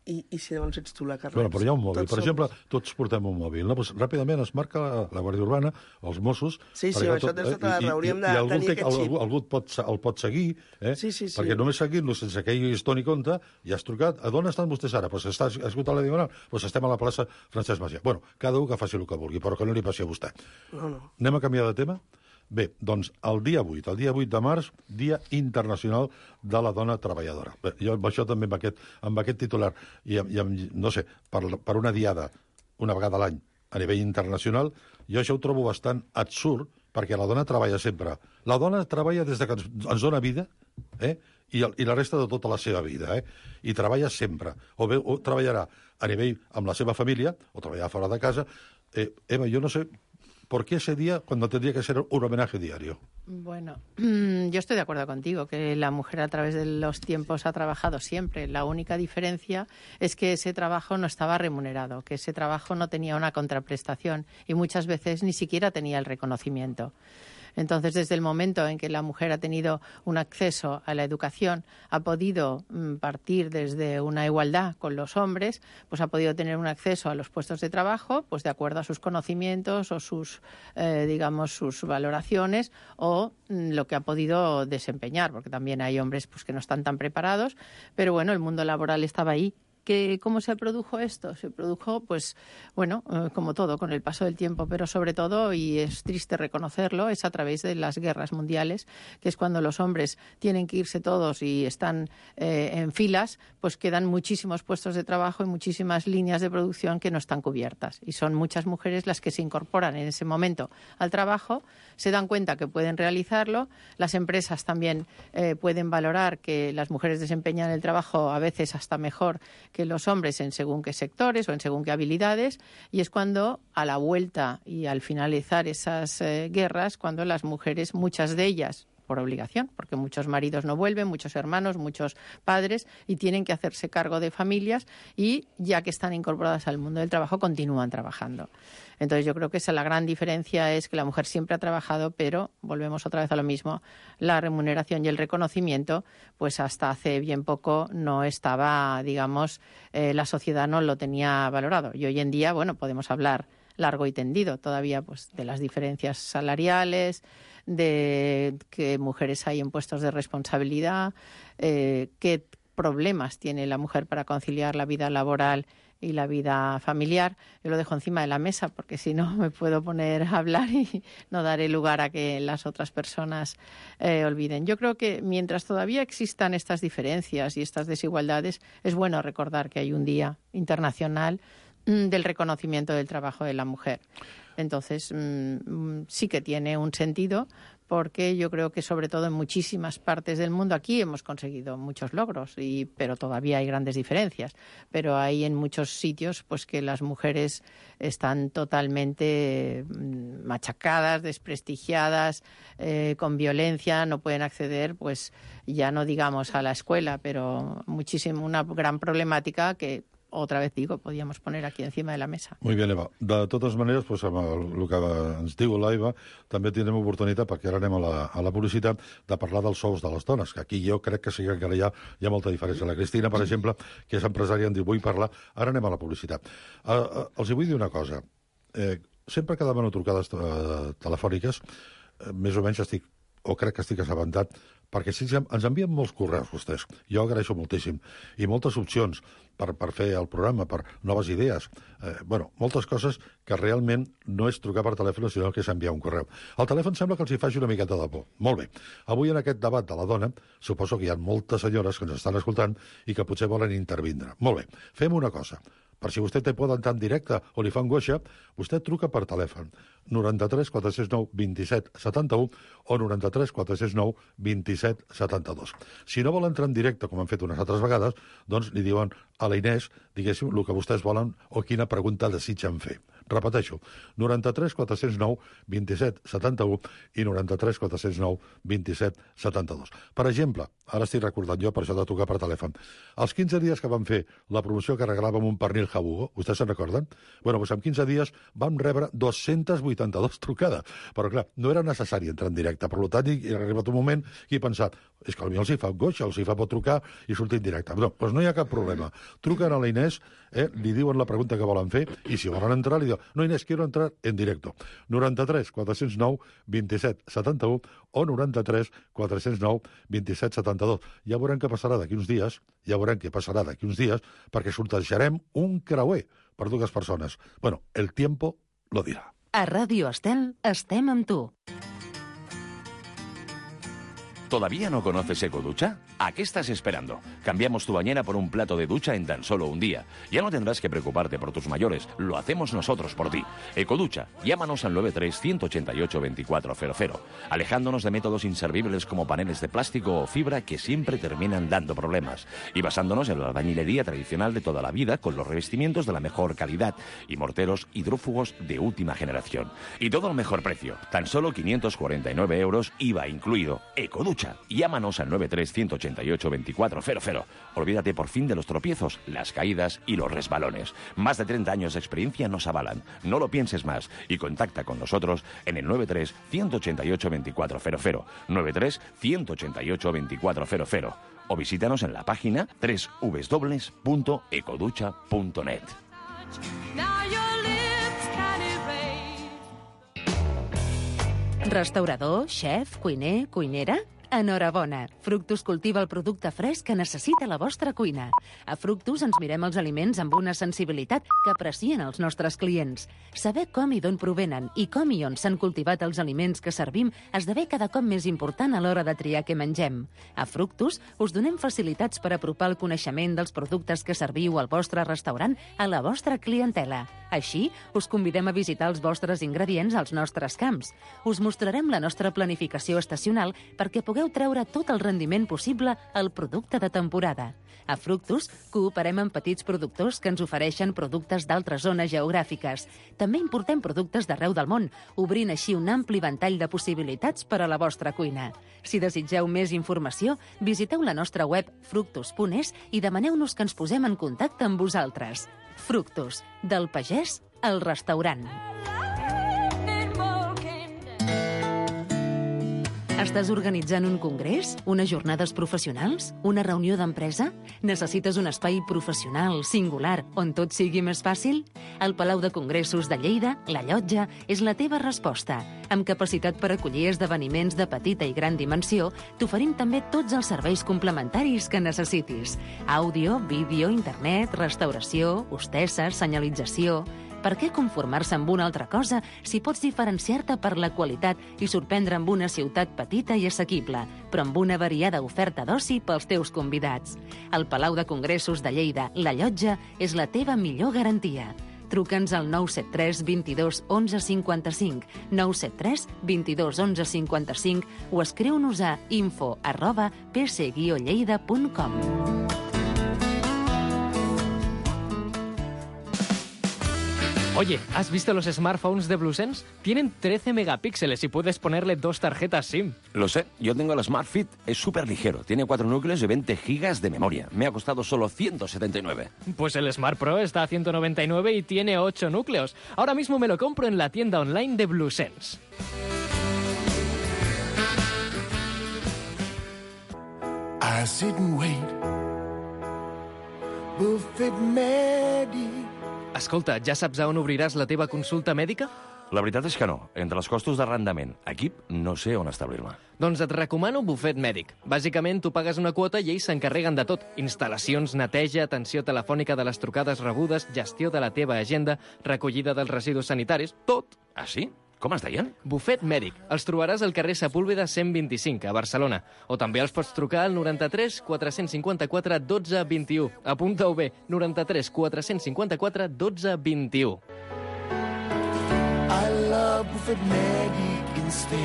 i si llavors ets tu la que reps? Bueno, però hi ha un mòbil. Per exemple, tots portem un mòbil. No? Pues, ràpidament es marca la Guàrdia Urbana, els Mossos... Sí, això tens tota la raó. Hauríem de tenir aquest xip. Algú el pot seguir, perquè només seguint-lo sense que ell es doni compte, ja has trucat. A d'on estan vostès ara? Pues està escoltant la Diagonal? Pues estem a la plaça Francesc Macià. Bueno, cada un que faci el que vulgui, però que no li passi a vostè. No. Anem a canviar de tema? Bé, doncs el dia 8 de març, Dia Internacional de la Dona Treballadora. Bé, jo amb això també, amb aquest titular, i no sé, per una diada, una vegada a l'any, a nivell internacional, jo això ho trobo bastant absurd, perquè la dona treballa sempre. La dona treballa des que ens dona vida, i la resta de tota la seva vida, i treballa sempre. O treballarà a nivell amb la seva família, o treballarà fora de casa. Eva, jo no sé... ¿Por qué ese día cuando tendría que ser un homenaje diario? Bueno, yo estoy de acuerdo contigo, que la mujer a través de los tiempos ha trabajado siempre. La única diferencia es que ese trabajo no estaba remunerado, que ese trabajo no tenía una contraprestación y muchas veces ni siquiera tenía el reconocimiento. Entonces, desde el momento en que la mujer ha tenido un acceso a la educación, ha podido partir desde una igualdad con los hombres, pues ha podido tener un acceso a los puestos de trabajo, pues de acuerdo a sus conocimientos o sus, sus valoraciones o lo que ha podido desempeñar, porque también hay hombres pues que no están tan preparados, pero bueno, el mundo laboral estaba ahí. ¿Cómo se produjo esto? Se produjo, pues, bueno, como todo, con el paso del tiempo, pero sobre todo, y es triste reconocerlo, es a través de las guerras mundiales, que es cuando los hombres tienen que irse todos y están en filas, pues quedan muchísimos puestos de trabajo y muchísimas líneas de producción que no están cubiertas. Y son muchas mujeres las que se incorporan en ese momento al trabajo, se dan cuenta que pueden realizarlo, las empresas también pueden valorar que las mujeres desempeñan el trabajo a veces hasta mejor que los hombres en según qué sectores o en según qué habilidades, y es cuando a la vuelta y al finalizar esas guerras, cuando las mujeres, muchas de ellas por obligación, porque muchos maridos no vuelven, muchos hermanos, muchos padres, y tienen que hacerse cargo de familias y ya que están incorporadas al mundo del trabajo, continúan trabajando. Entonces yo creo que esa la gran diferencia es que la mujer siempre ha trabajado, pero volvemos otra vez a lo mismo, la remuneración y el reconocimiento, pues hasta hace bien poco no estaba, digamos, la sociedad no lo tenía valorado. Y hoy en día, bueno, podemos hablar largo y tendido todavía pues de las diferencias salariales, de qué mujeres hay en puestos de responsabilidad, qué problemas tiene la mujer para conciliar la vida laboral y la vida familiar. Yo lo dejo encima de la mesa porque si no me puedo poner a hablar y no daré lugar a que las otras personas olviden. Yo creo que mientras todavía existan estas diferencias y estas desigualdades, es bueno recordar que hay un Día Internacional del reconocimiento del trabajo de la mujer. Entonces, sí que tiene un sentido porque yo creo que sobre todo en muchísimas partes del mundo, aquí hemos conseguido muchos logros, pero todavía hay grandes diferencias. Pero hay en muchos sitios pues que las mujeres están totalmente machacadas, desprestigiadas, con violencia, no pueden acceder, pues ya no digamos a la escuela, pero una gran problemática que otra vez digo, podíamos poner aquí encima de la mesa. Molt bé, Eva. De totes maneres, doncs, amb el que ens diu l'Eva, també tindrem oportunitat, perquè ara anem a la publicitat, de parlar dels sous de les dones, que aquí jo crec que sí que encara hi ha molta diferència. La Cristina, per exemple, que és empresària, em diu, vull parlar, ara anem a la publicitat. Els vull dir una cosa. Sempre que demano trucades telefòniques, més o menys crec que estic assabentat, perquè sí, ens envien molts correus, vostès. Jo agraeixo moltíssim. I moltes opcions per fer el programa, per noves idees. Moltes coses que realment no és trucar per telèfon, sinó que és enviar un correu. El telèfon sembla que els hi faci una miqueta de por. Molt bé. Avui en aquest debat de la dona, suposo que hi ha moltes senyores que ens estan escoltant i que potser volen intervindre. Molt bé. Fem una cosa. Per si vostè té por d'entrar en directe o li fa angoixa, vostè truca per telèfon 93 469 27 71 o 93 469 27 72. Si no vol entrar en directe, com han fet unes altres vegades, doncs li diuen a la Inés, diguéssim, el que vostès volen o quina pregunta desitgen fer. Repeteixo, 93 409 27 71 i 93 409 27 72. Per exemple, ara estic recordant jo, per això de trucar per telèfon, els 15 dies que vam fer la promoció que regalàvem un pernil Jabugo, vostès se'n recorden? Doncs en 15 dies vam rebre 282 trucades, però clar, no era necessari entrar en directe, per tant, ha arribat un moment que he pensat, és que potser els hi fa angoixa, els hi fa por trucar i sortir en directe. No, doncs no hi ha cap problema. Truquen a la Inés, li diuen la pregunta que volen fer i si volen entrar li diuen, no Inés, quiero entrar en directo. 93 409 27 71 o 93 409 27 72. Ja veurem què passarà d'aquí uns dies, perquè sortejarem un creuer per dues persones. Bueno, el tiempo lo dirá. A Ràdio Estel estem amb tu. ¿Todavía no conoces Ecoducha? ¿A qué estás esperando? Cambiamos tu bañera por un plato de ducha en tan solo un día. Ya no tendrás que preocuparte por tus mayores, lo hacemos nosotros por ti. Ecoducha, llámanos al 93-188-2400, alejándonos de métodos inservibles como paneles de plástico o fibra que siempre terminan dando problemas, y basándonos en la albañilería tradicional de toda la vida con los revestimientos de la mejor calidad y morteros hidrófugos de última generación. Y todo al mejor precio, tan solo 549 euros IVA incluido. Ecoducha. Ecoducha. Llámanos al 93-188-2400. Olvídate por fin de los tropiezos, las caídas y los resbalones. Más de 30 años de experiencia nos avalan. No lo pienses más y contacta con nosotros en el 93-188-2400. 93-188-2400. O visítanos en la página www.ecoducha.net. Restaurador, xef, cuiner, cuinera? Enhorabona! Fructus cultiva el producte fresc que necessita la vostra cuina. A Fructus ens mirem els aliments amb una sensibilitat que aprecien els nostres clients. Saber com i d'on provenen i com i on s'han cultivat els aliments que servim esdevé cada cop més important a l'hora de triar què mengem. A Fructus us donem facilitats per apropar el coneixement dels productes que serviu al vostre restaurant a la vostra clientela. Així, us convidem a visitar els vostres ingredients als nostres camps. Us mostrarem la nostra planificació estacional perquè pugueu treure tot el rendiment possible al producte de temporada. A Fructus cooperem amb petits productors que ens ofereixen productes d'altres zones geogràfiques. També importem productes d'arreu del món, obrint així un ampli ventall de possibilitats per a la vostra cuina. Si desitgeu més informació, visiteu la nostra web fructus.es i demaneu-nos que ens posem en contacte amb vosaltres. Fructus, del pagès al restaurant. Estàs organitzant un congrés? Unes jornades professionals? Una reunió d'empresa? Necessites un espai professional, singular, on tot sigui més fàcil? El Palau de Congressos de Lleida, La Llotja, és la teva resposta. Amb capacitat per acollir esdeveniments de petita i gran dimensió, t'oferim també tots els serveis complementaris que necessitis. Àudio, vídeo, internet, restauració, hostesses, senyalització... Per què conformar-se amb una altra cosa si pots diferenciar-te per la qualitat i sorprendre amb una ciutat petita i assequible, però amb una variada oferta d'oci pels teus convidats? El Palau de Congressos de Lleida, La Llotja, és la teva millor garantia. Truca'ns al 973 22 11 55, 973 22 11 55 o escriu-nos a info@pc-lleida.com. Oye, ¿has visto los smartphones de BlueSense? Tienen 13 megapíxeles y puedes ponerle 2 tarjetas SIM. Lo sé, yo tengo el Smart Fit. Es súper ligero, tiene 4 núcleos y 20 gigas de memoria. Me ha costado solo 179. Pues el Smart Pro está a 199 y tiene 8 núcleos. Ahora mismo me lo compro en la tienda online de BlueSense. I sit and wait. Buffet Medi. Escolta, ja saps a on obriràs la teva consulta mèdica? La veritat és que no. Entre els costos d'arrendament, equip, no sé on establir-me. Doncs et recomano Buffet Mèdic. Bàsicament, tu pagues una quota i ells s'encarreguen de tot. Instal·lacions, neteja, atenció telefònica de les trucades rebudes, gestió de la teva agenda, recollida dels residus sanitaris, tot. Ah, sí? Com es deien? Buffet Mèdic. Els trobaràs al carrer Sepúlveda 125, a Barcelona. O també els pots trucar al 93 454 12 21. Apunta-ho bé, 93 454 12 21. I love Buffet Mèdic instead.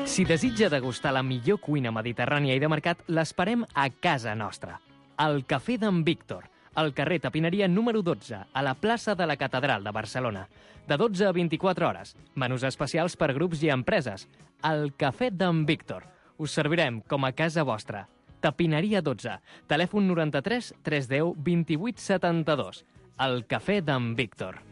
Si desitja degustar la millor cuina mediterrània i de mercat, l'esperem a casa nostra. Al Cafè d'en Víctor, al carrer Tapineria número 12, a la plaça de la Catedral de Barcelona. De 12 a 24 hores. Menús especials per grups i empreses. Al Cafè d'en Víctor. Us servirem com a casa vostra. Tapineria 12. Telèfon 93 310 28 72. Al Cafè d'en Víctor.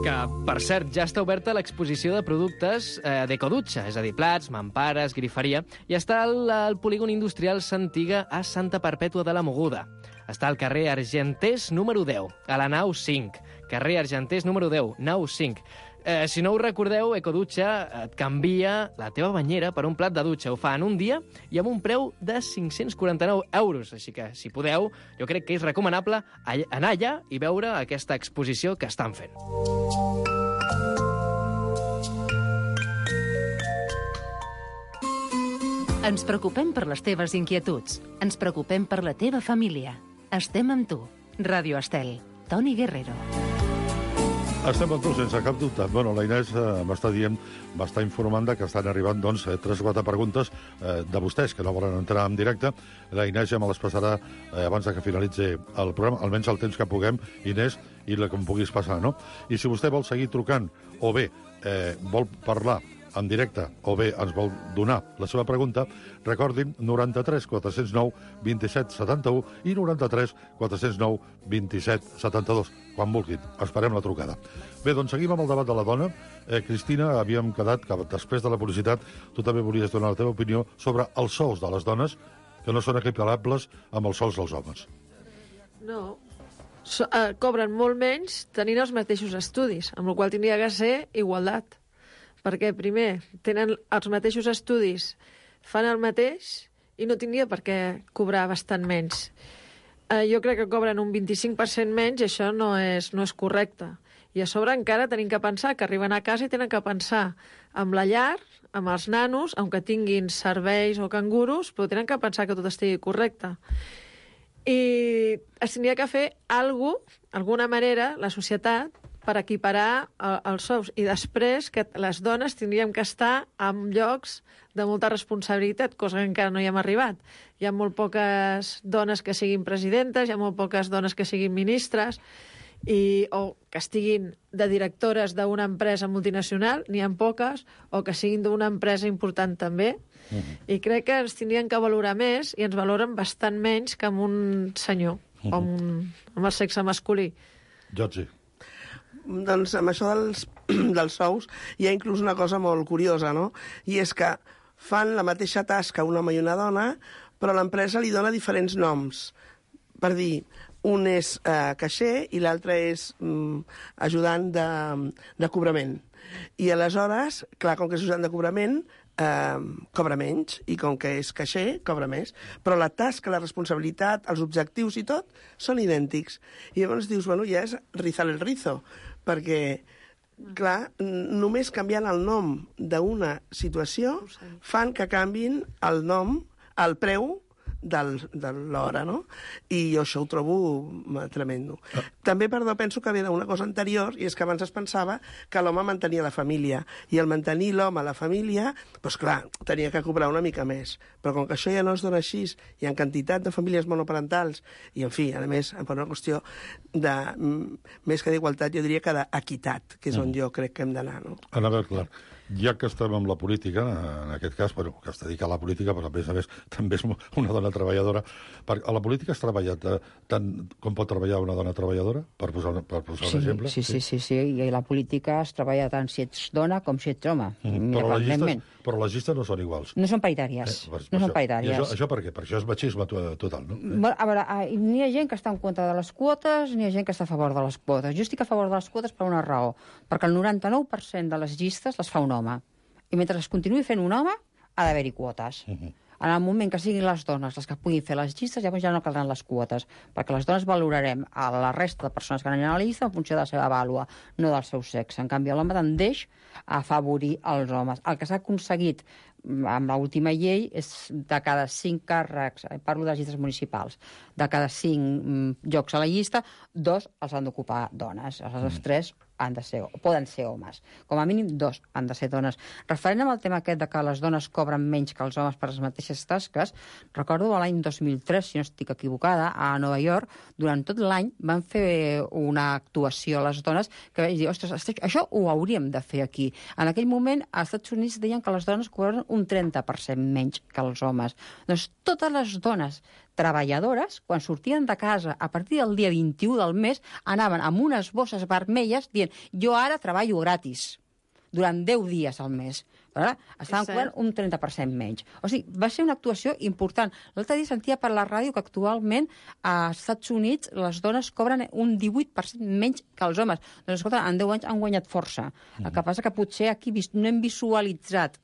Que, per cert, ja està oberta l'exposició de productes d'Ecoducha, és a dir, plats, mampares, griferia, i està al polígon industrial Santiga a Santa Perpètua de la Mogoda. Està al carrer Argenters número 10, a la nau 5. Carrer Argenters número 10, nau 5. Si no ho recordeu, Ecoducha et canvia la teva banyera per un plat de dutxa. Ho fa en un dia i amb un preu de 549 euros. Així que, si podeu, jo crec que és recomanable anar allà i veure aquesta exposició que estan fent. Ens preocupem per les teves inquietuds. Ens preocupem per la teva família. Estem amb tu. Ràdio Estel. Toni Guerrero. Estem amb tu, sense cap dubte. Bueno, la Inés m'està informant que estan arribant, 3 o 4 preguntes de vostès, que no volen entrar en directe. La Inés ja me les passarà abans que finalitzi el programa, almenys el temps que puguem, Inés, i la que em puguis passar, no? I si vostè vol seguir trucant, o bé vol parlar en directe, o bé ens vol donar la seva pregunta, recordin 93 409 27 71 i 93 409 27 72, quan vulguin. Esperem la trucada. Bé, doncs seguim amb el debat de la dona. Cristina, havíem quedat que després de la publicitat tu també volies donar la teva opinió sobre els sous de les dones, que no són equiparables amb els sous dels homes. No, cobren molt menys tenint els mateixos estudis, amb la qual cosa tindria que ser igualtat. Perquè, primer, tenen els mateixos estudis, fan el mateix i no tindria per què cobrar bastant menys. Jo crec que cobren un 25% menys i això no és correcte. I a sobre encara tenim que pensar que arriben a casa i tenen que pensar amb la llar, amb els nanos, aunque tinguin serveis o canguros, però tenen que pensar que tot estigui correcte. I es tindria que fer alguna manera, la societat, per equiparar els sous. I després que les dones tindríem que estar en llocs de molta responsabilitat, cosa que encara no hi hem arribat. Hi ha molt poques dones que siguin presidentes, hi ha molt poques dones que siguin ministres, o que estiguin de directores d'una empresa multinacional, n'hi ha poques, o que siguin d'una empresa important també. I crec que ens tindrien que valorar més i ens valoren bastant menys que amb un senyor, o amb el sexe masculí. Jordi. Doncs amb això dels sous hi ha inclús una cosa molt curiosa, no? I és que fan la mateixa tasca un home i una dona, però l'empresa li dona diferents noms. Per dir, un és caixer i l'altre és ajudant de cobrament. I aleshores, clar, com que és ajudant de cobrament, cobra menys, i com que és caixer, cobra més. Però la tasca, la responsabilitat, els objectius i tot són idèntics. I llavors dius, bueno, ja és rizar el rizo, perquè, clar, només canviant el nom d'una situació fan que canvin el nom, el preu de l'hora, no? I jo això ho trobo tremendo. També, perdó, penso que ve d'una cosa anterior, i és que abans es pensava que l'home mantenia la família, i al mantenir l'home a la família, doncs clar, tenia que cobrar una mica més. Però com que això ja no es dona així, hi ha quantitat de famílies monoparentals, i, en fi, a més, per una qüestió de, més que d'igualtat, jo diria que d'equitat, que és on jo crec que hem d'anar, no? A veure, clar, ja que estem amb la política, en aquest cas, bueno, que es dedica a la política, però a més també és una dona treballadora. A la política has treballat tant com pot treballar una dona treballadora, per posar un exemple? Sí, i la política es treballa tant si ets dona com si ets home. Però les llistes no són iguals. No són paritàries. No són paritàries. Això per què? Per això és machisme total, no? A veure, n'hi ha gent que està en contra de les quotes, n'hi ha gent que està a favor de les quotes. Jo estic a favor de les quotes per una raó, perquè el 99% de les llistes les fa un home. I mentre es continuï fent un home, ha d'haver-hi quotes. En el moment que siguin les dones les que puguin fer les llistes, llavors ja no caldran les quotes, perquè les dones valorarem a la resta de persones que aniran a la llista en funció de la seva vàlua, no del seu sexe. En canvi, l'home tendeix a afavorir els homes. El que s'ha aconseguit amb l'última llei és de cada 5 càrrecs, parlo de les llistes municipals, de cada 5 llocs a la llista, 2 els han d'ocupar dones. Els altres 3 han de ser, poden ser homes. Com a mínim 2 han de ser dones. Referent amb el tema aquest de que les dones cobren menys que els homes per les mateixes tasques, recordo l'any 2003, si no estic equivocada, a Nova York, durant tot l'any van fer una actuació a les dones que vaig dir, ostres, això ho hauríem de fer aquí. En aquell moment, als Estats Units deien que les dones cobren un 30% menys que els homes. Doncs totes les dones treballadores, quan sortien de casa a partir del dia 21 del mes, anaven amb unes bosses vermelles dient jo ara treballo gratis durant 10 dies al mes. Estaven cobrant un 30% menys. O sigui, va ser una actuació important. L'altre dia sentia per la ràdio que actualment als Estats Units les dones cobren un 18% menys que els homes. Doncs, escolta, en 10 anys han guanyat força. El que passa que potser aquí no hem visualitzat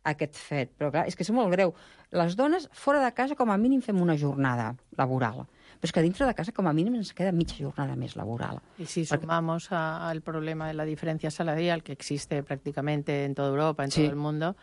aquest fet, però clar, és que és molt greu. Les dones fora de casa com a mínim fem una jornada laboral, però és que dintre de casa com a mínim ens queda mitja jornada més laboral. Y si sumamos al problema de la diferencia salarial que existe prácticamente en toda Europa, en todo el mundo,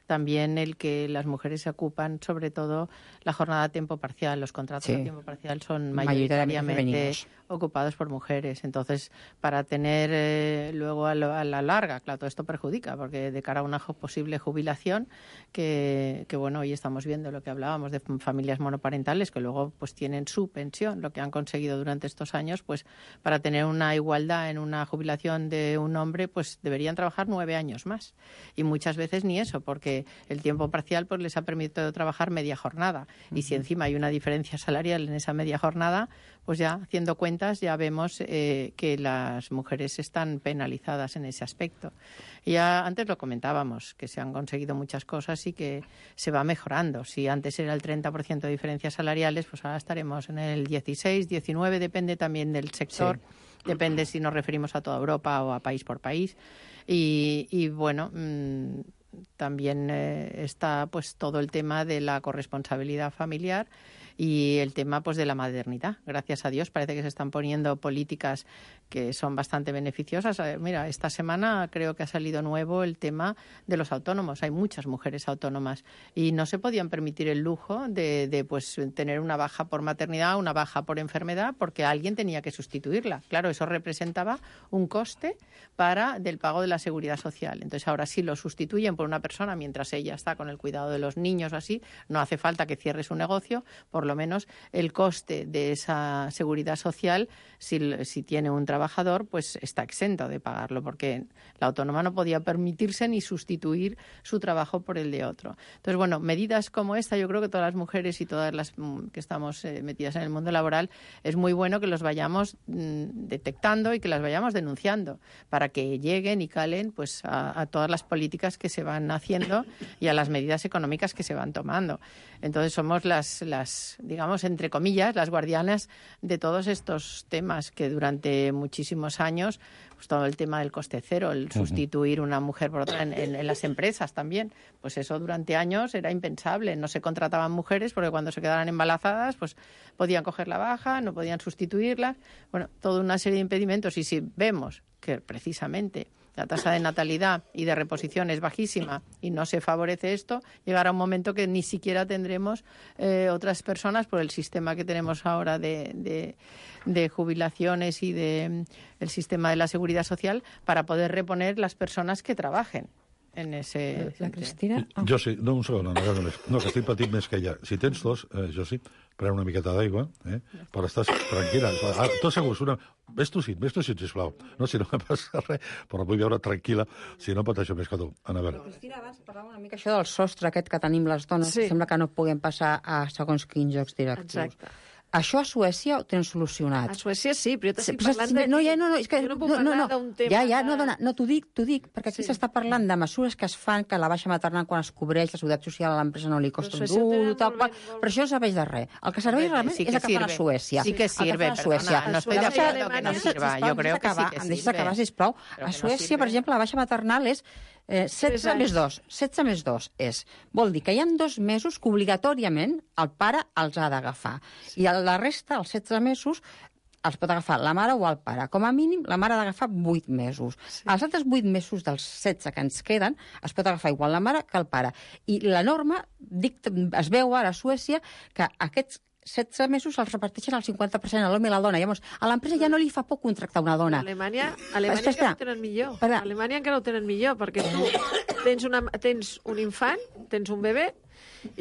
también el que las mujeres se ocupan sobre todo la jornada a tiempo parcial. Los contratos a tiempo parcial son mayoritariamente ocupados por mujeres. Entonces, para tener luego a la larga, claro, todo esto perjudica, porque de cara a una posible jubilación, que bueno, hoy estamos viendo lo que hablábamos de familias monoparentales, que luego pues tienen su pensión, lo que han conseguido durante estos años, pues para tener una igualdad en una jubilación de un hombre, pues deberían trabajar 9 años más. Y muchas veces ni eso, porque el tiempo parcial pues les ha permitido trabajar media jornada. Y si encima hay una diferencia salarial en esa media jornada, pues ya haciendo cuentas ya vemos que las mujeres están penalizadas en ese aspecto. Ya antes lo comentábamos, que se han conseguido muchas cosas y que se va mejorando. Si antes era el 30% de diferencias salariales, pues ahora estaremos en el 16, 19, depende también del sector, depende si nos referimos a toda Europa o a país por país. Y bueno, también está pues todo el tema de la corresponsabilidad familiar y el tema pues de la maternidad. Gracias a Dios parece que se están poniendo políticas que son bastante beneficiosas. Mira, esta semana creo que ha salido nuevo el tema de los autónomos. Hay muchas mujeres autónomas y no se podían permitir el lujo de pues tener una baja por maternidad, una baja por enfermedad, porque alguien tenía que sustituirla. Claro, eso representaba un coste del pago de la seguridad social. Entonces ahora sí lo sustituyen por una persona mientras ella está con el cuidado de los niños o así. No hace falta que cierre su negocio, por lo menos el coste de esa seguridad social, si tiene un trabajador, pues está exento de pagarlo, porque la autónoma no podía permitirse ni sustituir su trabajo por el de otro. Entonces, bueno, medidas como esta, yo creo que todas las mujeres y todas las que estamos metidas en el mundo laboral, es muy bueno que los vayamos detectando y que las vayamos denunciando, para que lleguen y calen pues a todas las políticas que se van haciendo y a las medidas económicas que se van tomando. Entonces somos las digamos, entre comillas, las guardianas de todos estos temas que durante muchísimos años, pues todo el tema del coste cero, el sustituir una mujer por otra en las empresas también, pues eso durante años era impensable. No se contrataban mujeres porque cuando se quedaran embarazadas, pues podían coger la baja, no podían sustituirlas. Bueno, toda una serie de impedimentos. Y si vemos que precisamente la tasa de natalidad y de reposición es bajísima y no se favorece esto, llegará un momento que ni siquiera tendremos otras personas por el sistema que tenemos ahora de jubilaciones y el sistema de la seguridad social para poder reponer las personas que trabajen en ese... La Cristina... Jo sí, no, un segon, no, que estic patint més que ella. Si tens tos, jo sí, pren una miqueta d'aigua, però estàs tranquil·la. Tot segur, ves tossint, sisplau. No, si no me passa res, però vull veure tranquil·la, si no pateixo més que tu. Anabel. Cristina, abans parlava una mica això del sostre aquest que tenim les dones, que sembla que no puguem passar a segons quins jocs directius. Exacte. Això a Suècia ho tenen solucionat. A Suècia sí, però jo t'estic parlant de... No, és que... Jo no puc parlar d'un tema... No, t'ho dic, perquè aquí s'està parlant de mesures que es fan, que la baixa maternal quan es cobreix la seguretat social a l'empresa no li costa un duro, tal qual, però això no serveix de res. El que serveix realment és el que fan a Suècia. Sí que sirve, perdona, no estoy de acuerdo que no sirva. Jo creo que sí que sirve. Em deixes acabar, sisplau. A Suècia, per exemple, la baixa maternal és 16 més 2. 16 més 2 vol dir que hi ha 2 mesos que obligatòriament el pare els ha d'agafar. I la resta, els 16 mesos, els pot agafar la mare o el pare. Com a mínim, la mare ha d'agafar 8 mesos. Els altres 8 mesos dels 16 que ens queden es pot agafar igual la mare que el pare. I la norma, es veu ara a Suècia que aquests 16 mesos els reparteixen al 50% a l'home i a la dona. Llavors, a l'empresa ja no li fa por contractar una dona. A Alemanya encara ho tenen millor. A Alemanya encara ho tenen millor, perquè tu tens un infant, tens un bebè,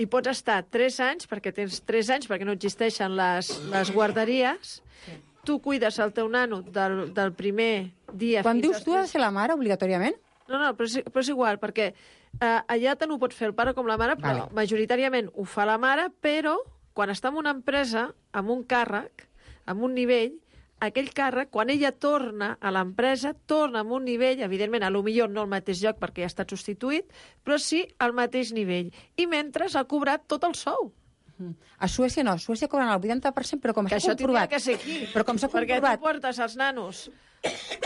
i pots estar 3 anys, perquè tens 3 anys, perquè no existeixen les guarderies. Tu cuides el teu nano del primer dia... Quan dius tu, ha de ser la mare, obligatòriament? No, però és igual, perquè allà tant ho pot fer el pare com la mare, però majoritàriament ho fa la mare, però quan està en una empresa, amb un càrrec, amb un nivell, aquell càrrec, quan ella torna a l'empresa, torna amb un nivell, evidentment, a lo millor no al mateix lloc perquè ja ha estat substituït, però sí al mateix nivell. I mentre ha cobrat tot el sou. A Suècia no, a Suècia cobren el 80%, però com s'ha comprovat... Que això tindria que ser aquí, però com s'ha comprovat... perquè tu portes els nanos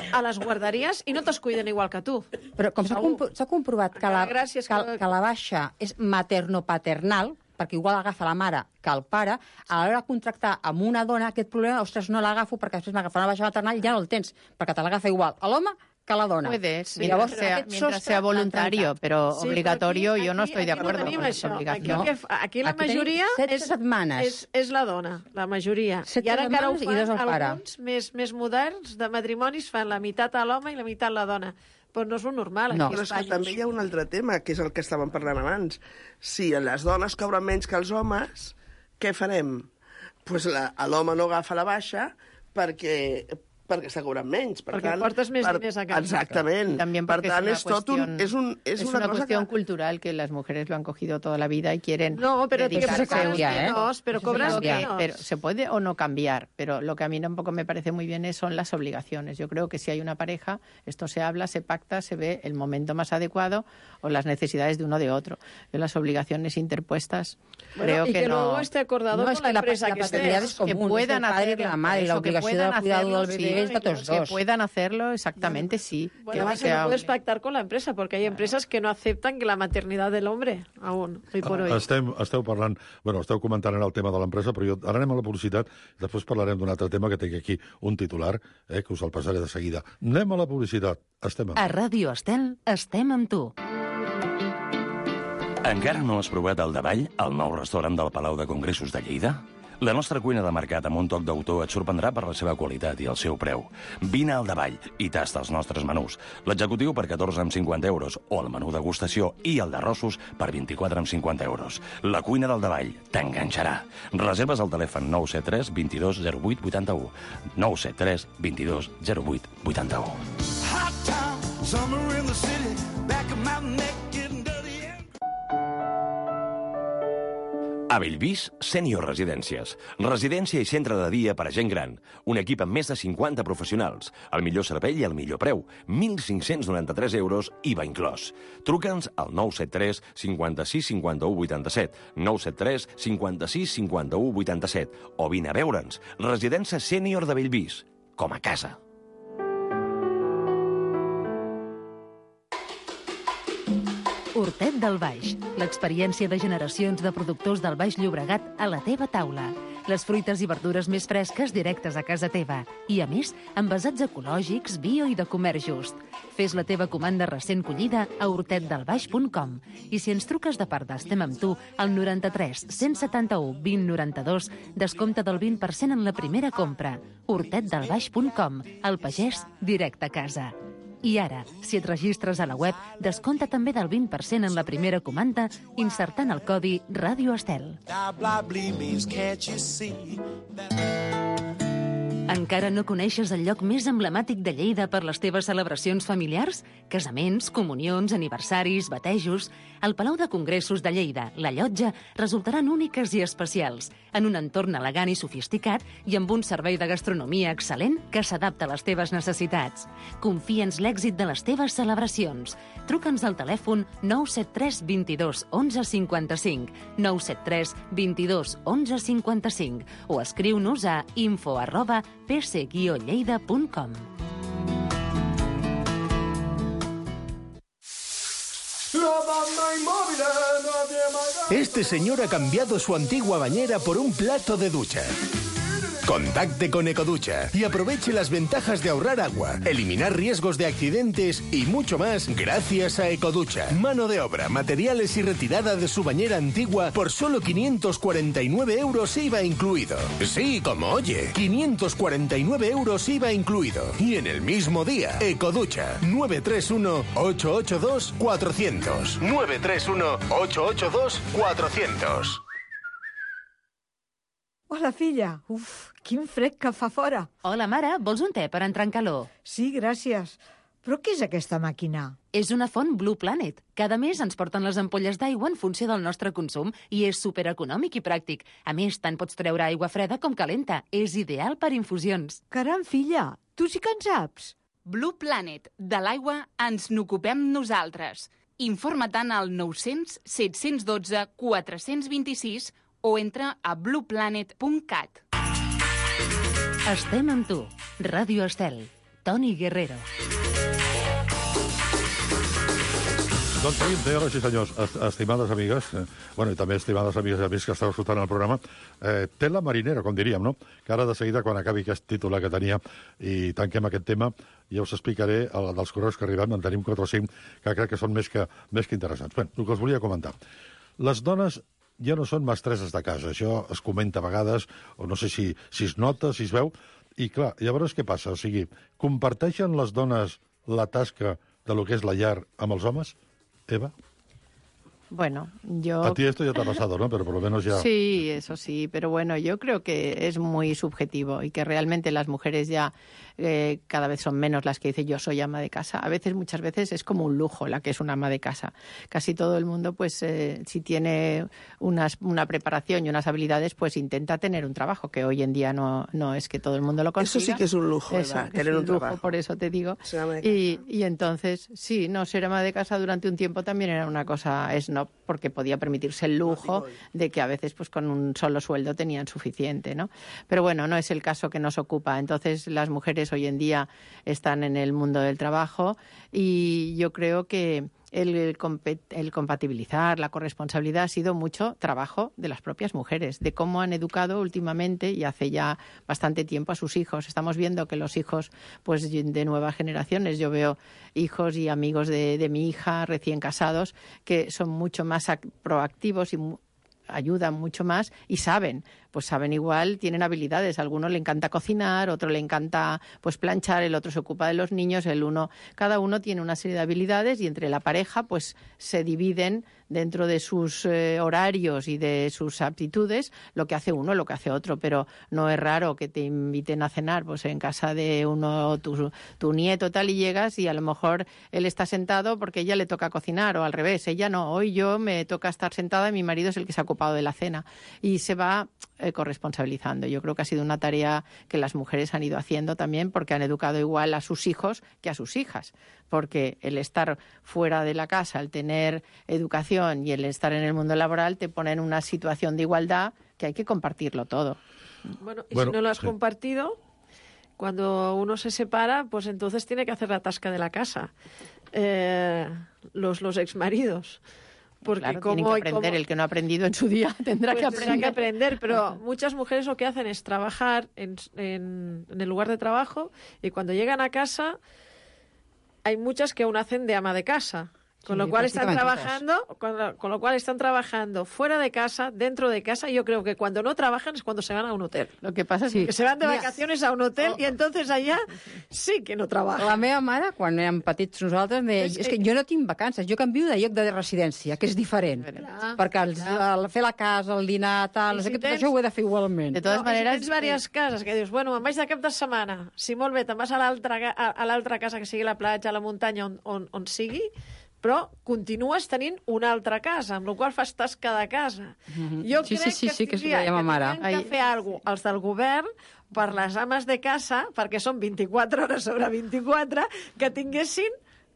a les guarderies i no te'ls cuiden igual que tu. Però com s'ha comprovat que la baixa és materno-paternal, perquè igual agafa la mare que el pare, a l'hora de contractar amb una dona aquest problema, ostres, no l'agafo perquè després m'agafa una baixa maternal i ja no el tens, perquè te l'agafa igual a l'home que que la dona. Puede, Sí, mientras llavors, sea voluntario, pero Sí, obligatorio però yo no estoy de acuerdo tenim con això. esa obligación. Aquí la Aquí tenim majoria 7 setmanes. és la dona, la majoria. 7 I ara encara ho setmanes i 2 fan al pare. alguns més moderns de matrimonis, fan la meitat a l'home i la meitat a la dona. Però no és un normal aquí Però a és que Espanya. també hi ha un altre tema, que és el que estàvem parlant abans. Si les dones cobren menys que els homes, què farem? Pues l'home no agafa la baixa perquè està cobrant menys. Perquè portes més diners a casa. Exactament. También Per porque tant, es una cosa cuestión cultural que las mujeres lo han cogido toda la vida y quieren No, pero dedicarse cobras a menos, pero cobras menos. Pero se puede o no cambiar, pero lo que a mí tampoco me parece muy bien son las obligaciones. Yo creo que si hay una pareja, esto se habla, se pacta, se ve el momento más adecuado o las necesidades de uno de otro. Yo las obligaciones interpuestas creo y que no... luego esté acordado con la empresa que estés. que puedan hacerlo, la madre, la obligación del cuidado del bebé es de todos que dos. puedan hacerlo, exactamente, sí. Bueno, además que no puedes pactar con la empresa, porque hay empresas que no aceptan que la maternidad del hombre, aún, hoy por hoy. Esteu parlant, esteu comentant el tema de l'empresa, però ara anem a la publicitat, després parlarem d'un altre tema que tinc aquí un titular, que us el passaré de seguida. Anem a la publicitat. Estem A Ràdio Estel estem amb tu. Encara no has provat el Davall, el nou restaurant del Palau de Congressos de Lleida? La nostra cuina de mercat amb un toc d'autor et sorprendrà per la seva qualitat i el seu preu. Vine al Davall i tasta els nostres menús. L'executiu per 14,50 euros o el menú degustació i el d'arrossos per 24,50 euros. La cuina del Davall t'enganxarà. Reserves al telèfon 973 22 08 81. 973 22 08 81. Hot town, summer in the city, back of my neck getting dirty. A Bellvís, Sènior Residències. Residència i centre de dia per a gent gran. Un equip amb més de 50 professionals. El millor servei i el millor preu. 1.593 euros, IVA inclòs. Truca'ns al 973 56 51 87. 973 56 51 87. O vine a veure'ns. Residència Sènior de Bellvís. Com a casa. Hortet del Baix, l'experiència de generacions de productors del Baix Llobregat a la teva taula. Les fruites i verdures més fresques directes a casa teva. I, a més, envasats ecològics, bio i de comerç just. Fes la teva comanda recent collida a hortetdelbaix.com. I si ens truques de part d'Estem amb tu, al 93 171 20 92, descompte del 20% en la primera compra. hortetdelbaix.com. El pagès directe a casa. I ara, si et registres a la web, descompta també del 20% en la primera comanda insertant el codi Ràdio Estel. Encara no coneixes el lloc més emblemàtic de Lleida per les teves celebracions familiars? Casaments, comunions, aniversaris, batejos... El Palau de Congressos de Lleida, la Llotja, resultaran úniques i especials, en un entorn elegant i sofisticat i amb un servei de gastronomia excel·lent que s'adapta a les teves necessitats. Confia'ns l'èxit de les teves celebracions. Truca'ns al telèfon 973 22 11 55, 973 22 11 55 o escriu-nos a info@pc-lleida.com. Este señor ha cambiado su antigua bañera por un plato de ducha. Contacte con Ecoducha y aproveche las ventajas de ahorrar agua, eliminar riesgos de accidentes y mucho más gracias a Ecoducha. Mano de obra, materiales y retirada de su bañera antigua por solo 549 euros IVA incluido. Sí, como oye, 549 euros IVA incluido. Y en el mismo día, Ecoducha, 931-882-400. 931-882-400. Hola, filla. Uf, quin fred que fa fora. Hola, mare, vols un te per entrar en calor? Sí, gràcies. Però què és aquesta màquina? És una font Blue Planet. Cada mes ens porten les ampolles d'aigua en funció del nostre consum i és supereconòmic i pràctic. A més, tant pots treure aigua freda com calenta. És ideal per infusions. Caram, filla, tu sí que en saps. Blue Planet. De l'aigua ens n'ocupem nosaltres. Informa-te'n al 900 712 426 o entra a blueplanet.cat. Estem amb tu. Ràdio Estel. Toni Guerrero. Doncs sí, senyores i senyors, estimades amigues, i també estimades amigues i amics que esteu escoltant el programa, tela marinera, com diríem, no? Que ara de seguida, quan acabi aquest titular que tenia i tanquem aquest tema, ja us explicaré dels correus que arribem, en tenim 4 o 5, que crec que són més que interessants. Bé, el que us volia comentar. Les dones ja no són mestresses de casa, això es comenta a vegades, o no sé si es nota, si es veu, i clar, llavors què passa? O sigui, comparteixen les dones la tasca de lo que és la llar amb els homes? Eva? Bueno, yo... A ti esto ya te ha pasado, ¿no? Pero por lo menos ya... Sí, eso sí, pero bueno, yo creo que es muy subjetivo y que realmente las mujeres ya cada vez son menos las que dicen yo soy ama de casa. A veces, muchas veces, es como un lujo la que es una ama de casa. Casi todo el mundo, pues, si tiene una preparación y unas habilidades, pues intenta tener un trabajo, que hoy en día no es que todo el mundo lo consiga. Eso sí que es un lujo, ¿verdad? Tener un lujo, por eso te digo. Y entonces, sí, no, ser ama de casa durante un tiempo también era una cosa snob, porque podía permitirse el lujo de que a veces pues con un solo sueldo tenían suficiente, ¿no? Pero bueno, no es el caso que nos ocupa. Entonces las mujeres hoy en día están en el mundo del trabajo y yo creo que el compatibilizar, la corresponsabilidad ha sido mucho trabajo de las propias mujeres, de cómo han educado últimamente y hace ya bastante tiempo a sus hijos. Estamos viendo que los hijos pues de nuevas generaciones, yo veo hijos y amigos de mi hija recién casados que son mucho más proactivos y ayudan mucho más y saben igual, tienen habilidades. A alguno le encanta cocinar, otro le encanta pues planchar, el otro se ocupa de los niños, cada uno tiene una serie de habilidades y entre la pareja pues se dividen dentro de sus horarios y de sus aptitudes lo que hace uno, lo que hace otro, pero no es raro que te inviten a cenar pues en casa de uno, tu nieto tal, y llegas y a lo mejor él está sentado porque ella le toca cocinar, o al revés, ella no, hoy yo me toca estar sentada y mi marido es el que se ha ocupado de la cena, y se va corresponsabilizando. Yo creo que ha sido una tarea que las mujeres han ido haciendo también porque han educado igual a sus hijos que a sus hijas, porque el estar fuera de la casa, el tener educación y el estar en el mundo laboral te pone en una situación de igualdad que hay que compartirlo todo. Bueno, y si no lo has compartido, cuando uno se separa, pues entonces tiene que hacer la tasca de la casa. Los exmaridos. Porque claro, tienen que aprender. El que no ha aprendido en su día tendrá que aprender. Pero muchas mujeres lo que hacen es trabajar en el lugar de trabajo, y cuando llegan a casa hay muchas que aún hacen de ama de casa. Con lo cual están trabajando fuera de casa, dentro de casa, y yo creo que cuando no trabajan es cuando se van a un hotel. Lo que passa és que se van de vacaciones a un hotel i entonces allà sí que no trabajan. La meva mare, quan érem petits nosaltres, deia, és que jo no tinc vacances, jo canvio de lloc de residència, que és diferent. Perquè al fer la casa, el dinar, tal, no sé què, tot això ho he de fer igualment. De totes maneres... Si tens diverses cases que dius, bueno, me'n vaig de cap de setmana, si molt bé, te'n vas a l'altra casa, que sigui la platja, a la muntanya, on sigui, però continues tenint una altra casa, amb la qual fas tasca de casa. Jo crec que tindrien que fer alguna cosa els del govern per les ames de casa, perquè són 24 hores sobre 24, que tinguessin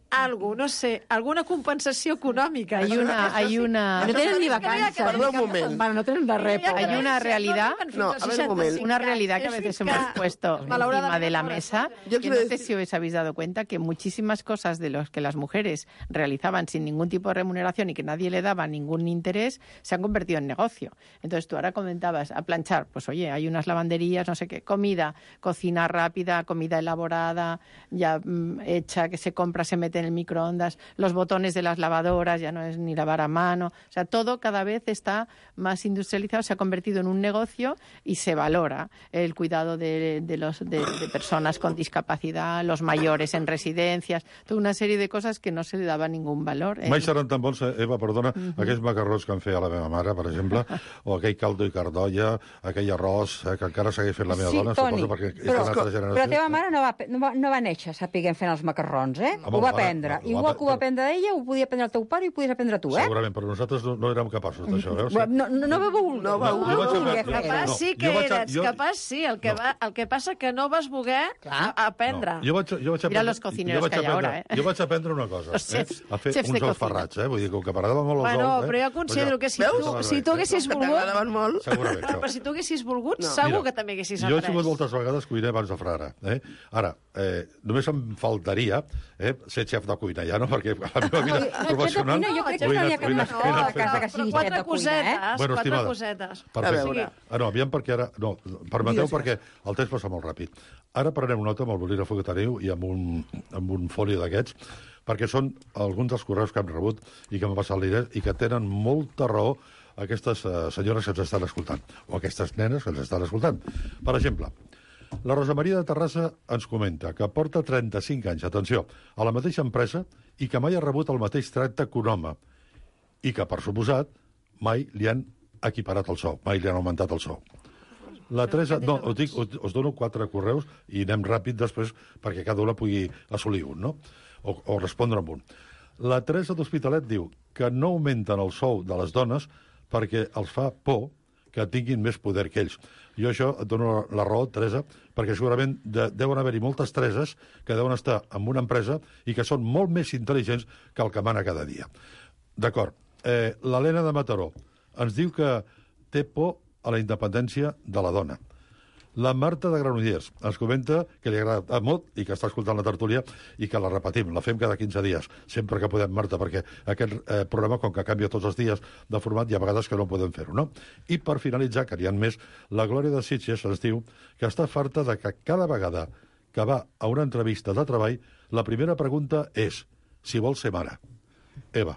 algo, no sé, alguna compensació econòmica. Hay una... No tenen ni vacances. Perdó un moment. No tenen de res. Hay una realidad... No, a ver un momento. Una realidad que a veces hemos puesto encima de la mesa. Yo que no sé si os habéis dado cuenta que muchísimas cosas de los que las mujeres realizaban sin ningún tipo de remuneración y que nadie le daba ningún interés, se han convertido en negocio. Entonces tú ahora comentabas a planchar, pues oye, hay unas lavanderías, no sé qué, comida, cocina rápida, comida elaborada, ya hecha, que se compra, se mete en el microondas, los botones de las lavadoras, ya no es ni lavar a mano, o sea, todo cada vez está más industrializado, se ha convertido en un negocio y se valora el cuidado de personas con discapacidad, los mayores en residencias, toda una serie de cosas que no se le daba ningún valor. Mai seran tan bons, Eva, perdona, aquells macarrons que em feia la meva mare, per exemple, o aquell caldo i cardolla, aquell arròs, que encara segueix fent la meva dona, Toni, suposo, perquè és una altra generació. Però la teva mare no va néixer sapiguent fent els macarrons, Ho va aprendre. Igual que ho va aprendre ella, ho podia aprendre el teu pare i ho podies aprendre tu, Segurament, però nosaltres no érem capaços d'això, veus? No va voler. Capaç sí que eres, capaç sí. El que passa que no vas voler aprendre. Jo vaig aprendre... Mira los cocineros que hi ha ara, Jo vaig aprendre una cosa, a fer uns ous ferrats, vull dir, com que m'agradava molt els ous... Bueno, però jo considero que si tu haguessis volgut... Però si tu haguessis volgut, segur que també haguessis après. Jo he sigut moltes vegades cuiner abans de frare. Ara, només em faltaria ser xef de cuina, ja, no? Perquè la meva vida professional... Jo crec que no hi ha cap mascota a casa que sigui xef de cuina, Bueno, Quatre estimada, cosetes. perfecte. No, aviam, perquè ara... No, permeteu, perquè el temps passa molt ràpid. Ara prenem nota amb el bolígraf que teniu i amb un foli d'aquests, perquè són alguns dels correus que hem rebut i que m'ha passat l'Inés i que tenen molta raó aquestes senyores que ens estan escoltant, o aquestes nenes que ens estan escoltant. Per exemple, la Rosa Maria de Terrassa ens comenta que porta 35 anys, atenció, a la mateixa empresa i que mai ha rebut el mateix tracte que un home i que, per suposat, mai li han equiparat el sou, mai li han augmentat el sou. La Teresa... No, us dono 4 correus i anem ràpid després perquè cada una pugui assolir un, no? O respondre amb un. La Teresa d'Hospitalet diu que no augmenten el sou de les dones perquè els fa por que tinguin més poder que ells. Jo això et dono la raó, Teresa, perquè segurament deuen haver-hi moltes Tereses que deuen estar en una empresa i que són molt més intel·ligents que el que mana cada dia. D'acord. L'Helena de Mataró ens diu que té por a la independència de la dona. La Marta de Granollers ens comenta que li agrada molt i que està escoltant la tertúlia i que la repetim, la fem cada 15 dies, sempre que podem, Marta, perquè aquest programa, com que canvia tots els dies de format, hi ha vegades que no podem fer-ho, no? I per finalitzar, que n'hi ha més, la Glòria de Sitges ens diu que està farta de que cada vegada que va a una entrevista de treball, la primera pregunta és si vol ser mare. Eva.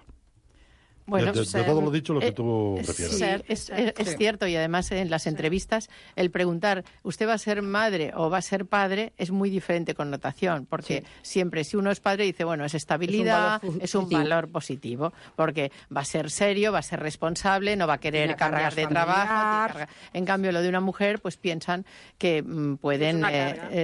Bueno, de todo lo dicho, lo que tú prefieras. Es cierto, y además en las entrevistas el preguntar ¿usted va a ser madre o va a ser padre? Es muy diferente connotación, porque siempre si uno es padre dice, bueno, es estabilidad, es un valor positivo, porque va a ser serio, va a ser responsable, no va a querer cambiar de trabajo. En cambio, lo de una mujer, pues piensan que pueden...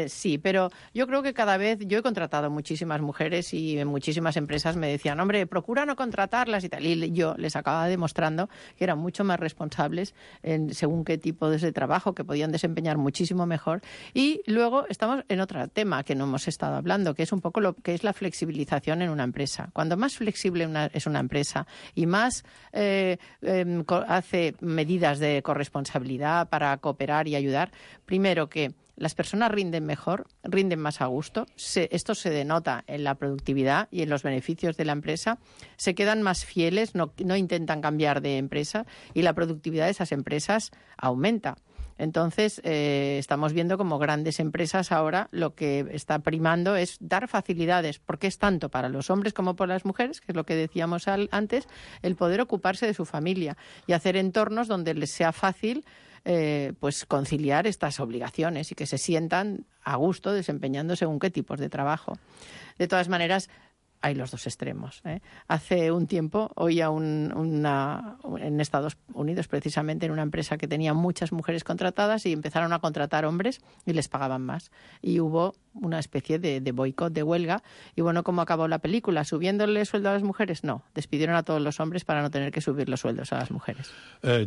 sí, pero yo creo que cada vez... Yo he contratado muchísimas mujeres y en muchísimas empresas me decían, hombre, procura no contratarlas y tal. Y yo les acababa demostrando que eran mucho más responsables en según qué tipo de trabajo, que podían desempeñar muchísimo mejor. Y luego estamos en otro tema que no hemos estado hablando, que es un poco lo que es la flexibilización en una empresa. Cuando más flexible es una empresa y más hace medidas de corresponsabilidad para cooperar y ayudar, primero que las personas rinden mejor, rinden más a gusto. Esto se denota en la productividad y en los beneficios de la empresa. Se quedan más fieles, no intentan cambiar de empresa y la productividad de esas empresas aumenta. Entonces, estamos viendo como grandes empresas ahora lo que está primando es dar facilidades, porque es tanto para los hombres como para las mujeres, que es lo que decíamos antes, el poder ocuparse de su familia y hacer entornos donde les sea fácil pues conciliar estas obligaciones y que se sientan a gusto desempeñando según qué tipos de trabajo. De todas maneras, hay los dos extremos. Hace un tiempo oía en Estados Unidos, precisamente, en una empresa que tenía muchas mujeres contratadas y empezaron a contratar hombres y les pagaban más. Y hubo una especie de boicot, de huelga. Y bueno, ¿cómo acabó la película? ¿Subiéndole sueldo a las mujeres? No. Despidieron a todos los hombres para no tener que subir los sueldos a las mujeres.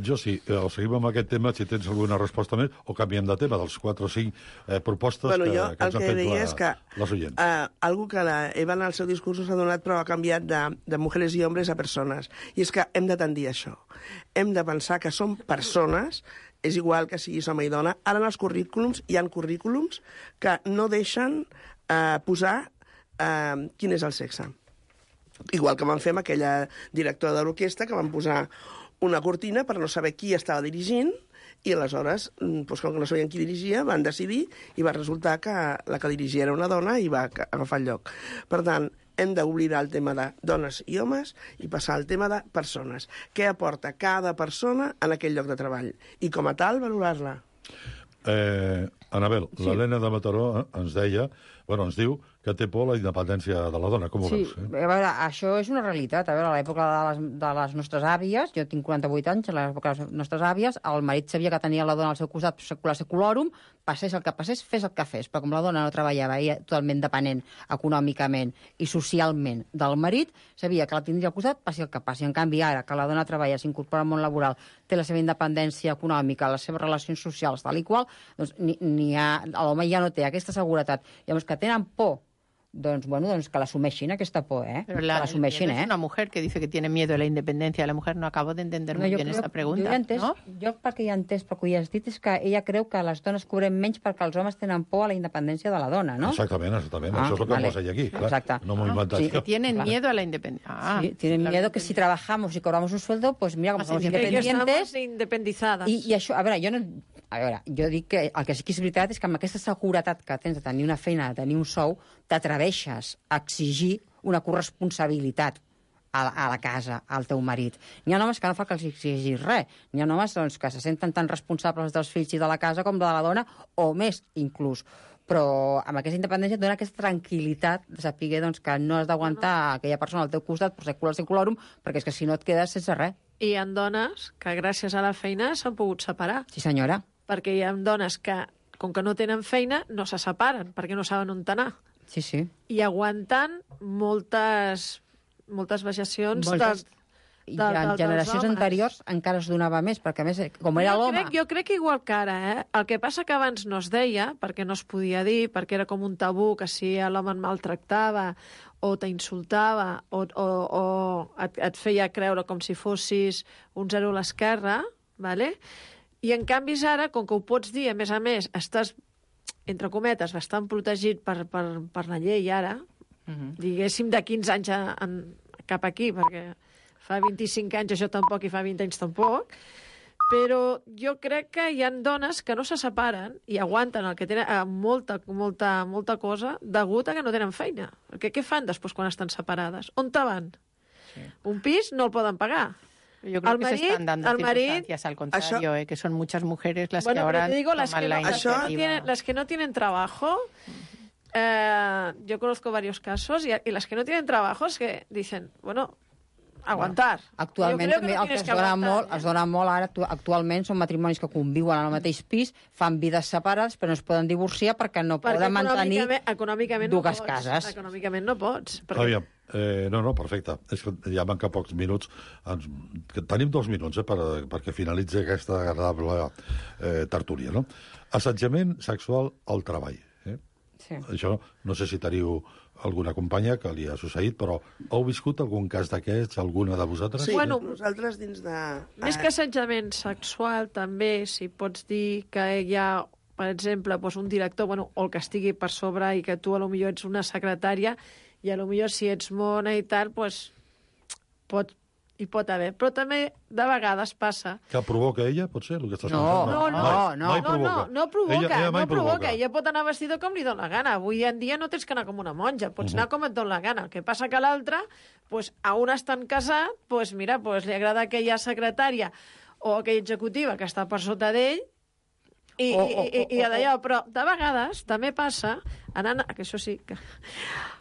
Jo sí. Seguim amb aquest tema, si tens alguna resposta més, o canviem de tema, dels 4 o 5 propostes que ens ha fet les oients. Algo que la Eva en el seu discurs s'ha donat, però ha canviat de mujeres i homes a persones. I és que hem de tendir a això. Hem de pensar que som persones, és igual que siguis home i dona. Ara en els currículums hi ha currículums que no deixen posar quin és el sexe. Igual que van fer amb aquella directora de l'orquestra, que van posar una cortina per no saber qui estava dirigint, i aleshores, doncs, com que no sabien qui dirigia, van decidir i va resultar que la que dirigia era una dona i va agafar el lloc. Per tant, hem d'oblidar el tema de dones i homes i passar al tema de persones. Què aporta cada persona en aquell lloc de treball? I com a tal, valorar-la. Anabel, l'Helena de Mataró ens diu que té por a la independència de la dona. Com ho veus? A veure, això és una realitat. A veure, a l'època de les nostres àvies, jo tinc 48 anys, a l'època de les nostres àvies, el marit sabia que tenia la dona al seu costat secular seculorum, passés el que passés, fes el que fes. Però com la dona no treballava, era totalment dependent econòmicament i socialment del marit, sabia que la tindria al costat, passi el que passi. En canvi, ara que la dona treballa, s'incorpora al món laboral, té la seva independència econòmica, les seves relacions socials, tal i qual, doncs l'home ja no té aquesta seguretat. Llavors, que tenen por doncs que l'assumeixin, aquesta por, Pero que l'assumeixin, es una mujer que dice que tiene miedo a la independencia de la mujer. No acabo de entender muy bien esta pregunta. Jo perquè hi he entès, pel que hi has dit, és que ella creu que les dones cobrem menys perquè els homes tenen por a la independència de la dona, no? Exactament. Això és el que posa ella aquí, clar. Exacte. No m'ho he inventat. Que tienen miedo a la independencia. Sí, tienen miedo que si trabajamos y cobramos un sueldo, pues mira, como somos independientes... independitzades. I això, a veure, jo dic que el que sí que és veritat és que amb aquesta seguretat que tens de tenir una feina, de tenir un sou, t'atreveixes a exigir una corresponsabilitat a la casa, al teu marit. N'hi ha homes que no fa que els exigis res. N'hi ha homes que se senten tan responsables dels fills i de la casa com de la dona, o més, inclús. Però amb aquesta independència et dona aquesta tranquil·litat de saber que no has d'aguantar aquella persona al teu costat per secular secularum, perquè és que si no et quedes sense res. I hi ha dones que gràcies a la feina s'han pogut separar. Sí, senyora. Perquè hi ha dones que, com que no tenen feina, no se separen, perquè no saben on anar. Sí, sí. I aguantant moltes vexacions I en generacions anteriors encara es donava més, perquè a més, com era l'home... Jo crec que igual que ara, El que passa que abans no es deia, perquè no es podia dir, perquè era com un tabú, que si l'home et maltractava, o t'insultava, o et feia creure com si fossis un zero a l'esquerra, ¿vale? I en canvi ara, com que ho pots dir, a més, estàs, entre cometes, bastant protegit per la llei ara, diguéssim de 15 anys cap aquí, perquè fa 25 anys això tampoc i fa 20 anys tampoc, però jo crec que hi ha dones que no se separen i aguanten el que tenen molta cosa degut a que no tenen feina. Perquè què fan després quan estan separades? On te van? Sí. Un pis no el poden pagar. Yo creo que se están dando circunstancias al contrario, que son muchas mujeres las que ahora toman la iniciativa. Las que no tienen trabajo, yo conozco varios casos, y las que no tienen trabajo es que dicen, bueno, aguantar. Actualment també el que es dona molt ara, actualment són matrimonis que conviuen al mateix pis, fan vides separades, però no es poden divorciar perquè no poden mantenir dues cases. Econòmicament no pots. Aviam, no, perfecte. És que ja manca pocs minuts. Tenim 2 minuts perquè finalitzi aquesta agradable tertúlia, no? Assetjament sexual al treball. Sí. Això no sé si teniu alguna companya que li ha succeït, però heu viscut algun cas d'aquests, alguna de vosaltres? Sí, nosaltres dins de... Més que assetjament sexual, també, si pots dir que hi ha, per exemple, un director, o el que estigui per sobre i que tu potser ets una secretària i potser si ets mona i tal, hi pot haver. Però també, de vegades, passa... Que provoca ella, pot ser, el que estàs pensant? No provoca. Ella Ella pot anar vestida com li dóna la gana. Avui en dia no tens que anar com una monja, pots anar com et dóna la gana. El que passa que l'altre, a un estan casat, li agrada aquella secretària o aquella executiva que està per sota d'ell, i d'allò, però de vegades també passa, que això sí, que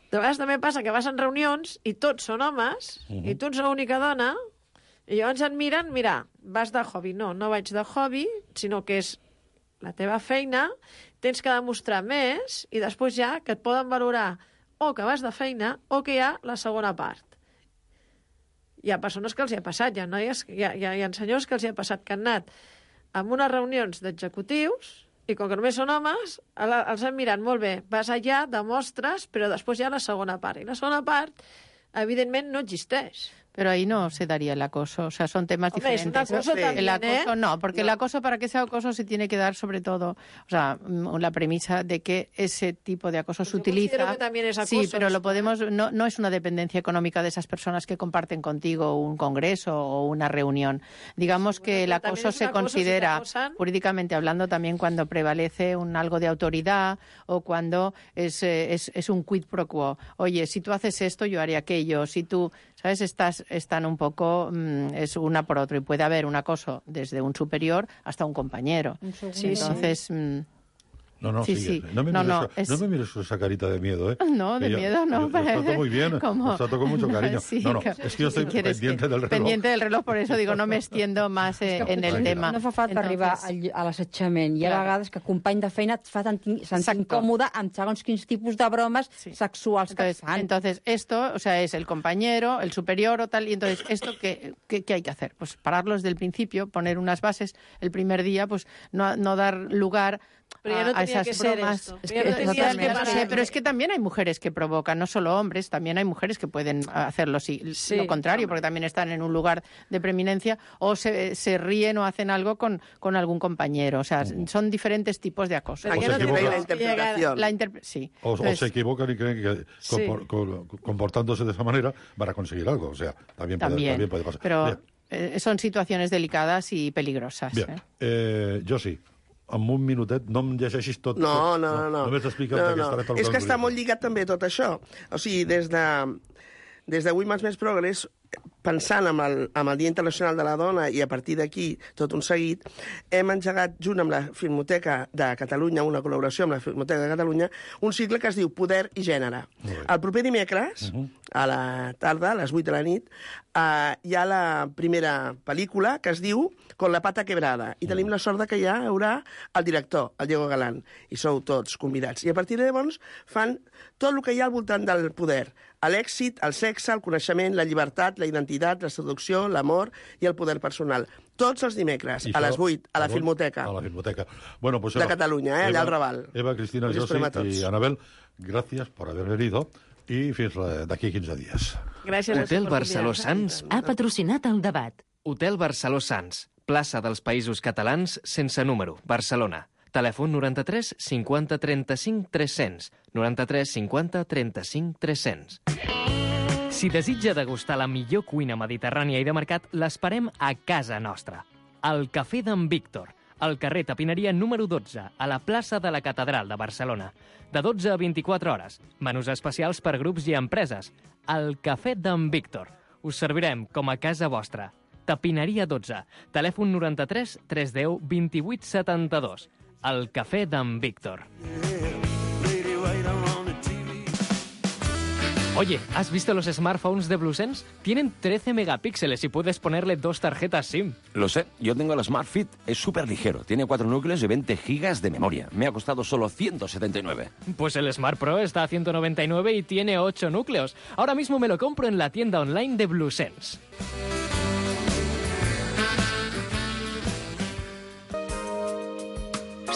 de vegades també passa que vas en reunions i tots són homes, i tu ets l'única dona, i llavors et miren, vas de hobby. No vaig de hobby, sinó que és la teva feina, tens que demostrar més, i després ja que et poden valorar o que vas de feina o que hi ha la segona part. Hi ha persones que els hi ha passat, hi ha senyors que els hi ha passat que han anat en unes reunions d'executius i com que només són homes, els han mirat molt bé. Vas allà, demostres, però després hi ha la segona part. I la segona part, evidentment, no existeix. Pero ahí no se daría el acoso, o sea, son temas diferentes. Es un acoso también, el acoso no, porque el acoso, para que sea acoso, se tiene que dar sobre todo, o sea, la premisa de que ese tipo de acoso se utiliza. Que también es acoso, sí, pero lo podemos, no es una dependencia económica de esas personas que comparten contigo un congreso o una reunión. Digamos que el acoso se considera, jurídicamente hablando, también cuando prevalece algo de autoridad o cuando es un quid pro quo. Oye, si tú haces esto, yo haré aquello. Si tú, ¿sabes? Están un poco, es una por otro, y puede haber un acoso desde un superior hasta un compañero. Sí, entonces... No, sigue. No me mires esa carita de miedo, ¿eh? No, de miedo no. Yo trato muy bien, los trato con mucho cariño. Sí, es que yo estoy pendiente del reloj. Pendiente del reloj, por eso digo, no me extiendo más en el tema. No fa falta arribar a l'assetjament. Hi ha vegades que company de feina et fa sentir incòmode amb segons quins tipus de bromes sexuals que et fan. Entonces, esto, o sea, es el compañero, el superior o tal, y entonces, ¿esto qué hay que hacer? Pues pararlo desde el principio, poner unas bases el primer día, pues no dar lugar Pero ya no a tenía esas que ser bromas. esto. Es Ya que, no tenías total, que que no parar. sé, pero es que también hay mujeres que provocan, no solo hombres, también hay mujeres que pueden hacerlo lo contrario, porque también están en un lugar de preeminencia o se ríen o hacen algo con algún compañero. O sea, son diferentes tipos de acoso. Aquí no tiene la interpretación. Sí. O Entonces, se equivocan y creen que comportándose de esa manera van a conseguir algo. O sea, también puede pasar. Pero son situaciones delicadas i peligroses. Bien. Josi, en un minutet, no em llegeixis tot. No. Només explica'm de què estarà tot el És que està calendari. molt lligat també tot això. O sigui, des de Women's Més Progress, pensant amb el Dia Internacional de la Dona i a partir d'aquí tot un seguit, hem engegat junt amb la Filmoteca de Catalunya, una col·laboració amb la Filmoteca de Catalunya, un cicle que es diu Poder i Gènere. El proper dimecres, a la tarda, a les 8 de la nit, hi ha la primera pel·lícula que es diu Con la pata quebrada. I tenim la sort que hi haurà el director, el Diego Galán, i sou tots convidats. I a partir de llavors fan tot el que hi ha al voltant del poder. L'èxit, el sexe, el coneixement, la llibertat, la identitat, la seducció, l'amor i el poder personal. Tots els dimecres, a les 8, a la Filmoteca. A la Filmoteca. Bueno, pues de Catalunya, allà al Raval. Eva, Cristina, Josi y Anabel, gracias por haber venido y fins d'aquí 15 días. Gràcies. Hotel Barceló Sants ha patrocinat el debat. Hotel Barceló Sants, plaça dels Països Catalans sense número, Barcelona. Telèfon 93 50 35 300. 93 50 35 300. Si desitja degustar la millor cuina mediterrània i de mercat, l'esperem a casa nostra. Al Cafè d'en Víctor, al carrer Tapineria número 12, a la plaça de la Catedral de Barcelona. De 12 a 24 hores. Menús especials per grups i empreses. Al Cafè d'en Víctor. Us servirem com a casa vostra. Tapineria 12. Telèfon 93 310 28 72. El Cafè d'en Víctor. Oye, ¿has visto los smartphones de BlueSense? Tienen 13 megapíxeles y puedes ponerle 2 tarjetas SIM. Lo sé, yo tengo el Smart Fit, es súper ligero, tiene 4 núcleos y 20 gigas de memoria. Me ha costado solo 179. Pues el Smart Pro está a 199 y tiene 8 núcleos. Ahora mismo me lo compro en la tienda online de BlueSense.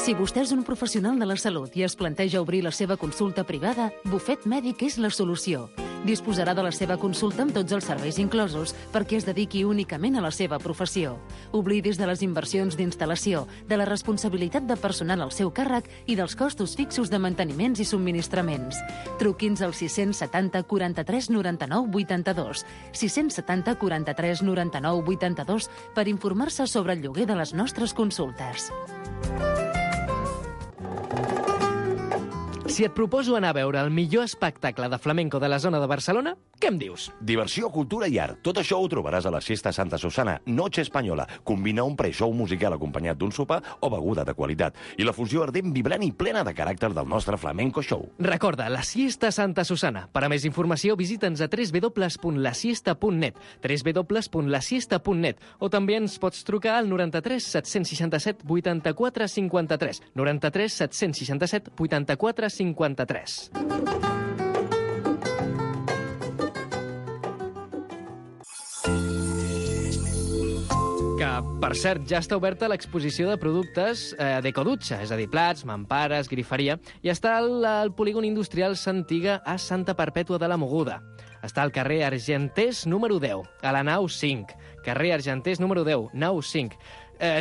Si vostè és un professional de la salut i es planteja obrir la seva consulta privada, Bufet Mèdic és la solució. Disposarà de la seva consulta amb tots els serveis inclosos perquè es dediqui únicament a la seva professió. Oblidis de les inversions d'instal·lació, de la responsabilitat de personal al seu càrrec i dels costos fixos de manteniments i subministraments. Truqui'ns al 670 43 99 82, 670 43 99 82 per informar-se sobre el lloguer de les nostres consultes. Si et proposo anar a veure el millor espectacle de flamenco de la zona de Barcelona, què em dius? Diversió, cultura i art. Tot això ho trobaràs a la Siesta Santa Susana, Noche Espanyola. Combina un pre-show musical acompanyat d'un sopar o beguda de qualitat. I la fusió ardent, vibrant i plena de caràcter del nostre flamenco show. Recorda, la Siesta Santa Susana. Per a més informació, visita'ns a www.lasiesta.net, www.lasiesta.net, o també ens pots trucar al 93 767 84 53, 93 767 84 53. Que, per cert, ja està oberta l'exposició de productes d'Ecodutxa, és a dir, plats, mampares, griferia, i està al polígon industrial Santiga a Santa Perpètua de la Mogoda. Està al carrer Argenters número 10, a la nau 5. Carrer Argenters número 10, nau 5.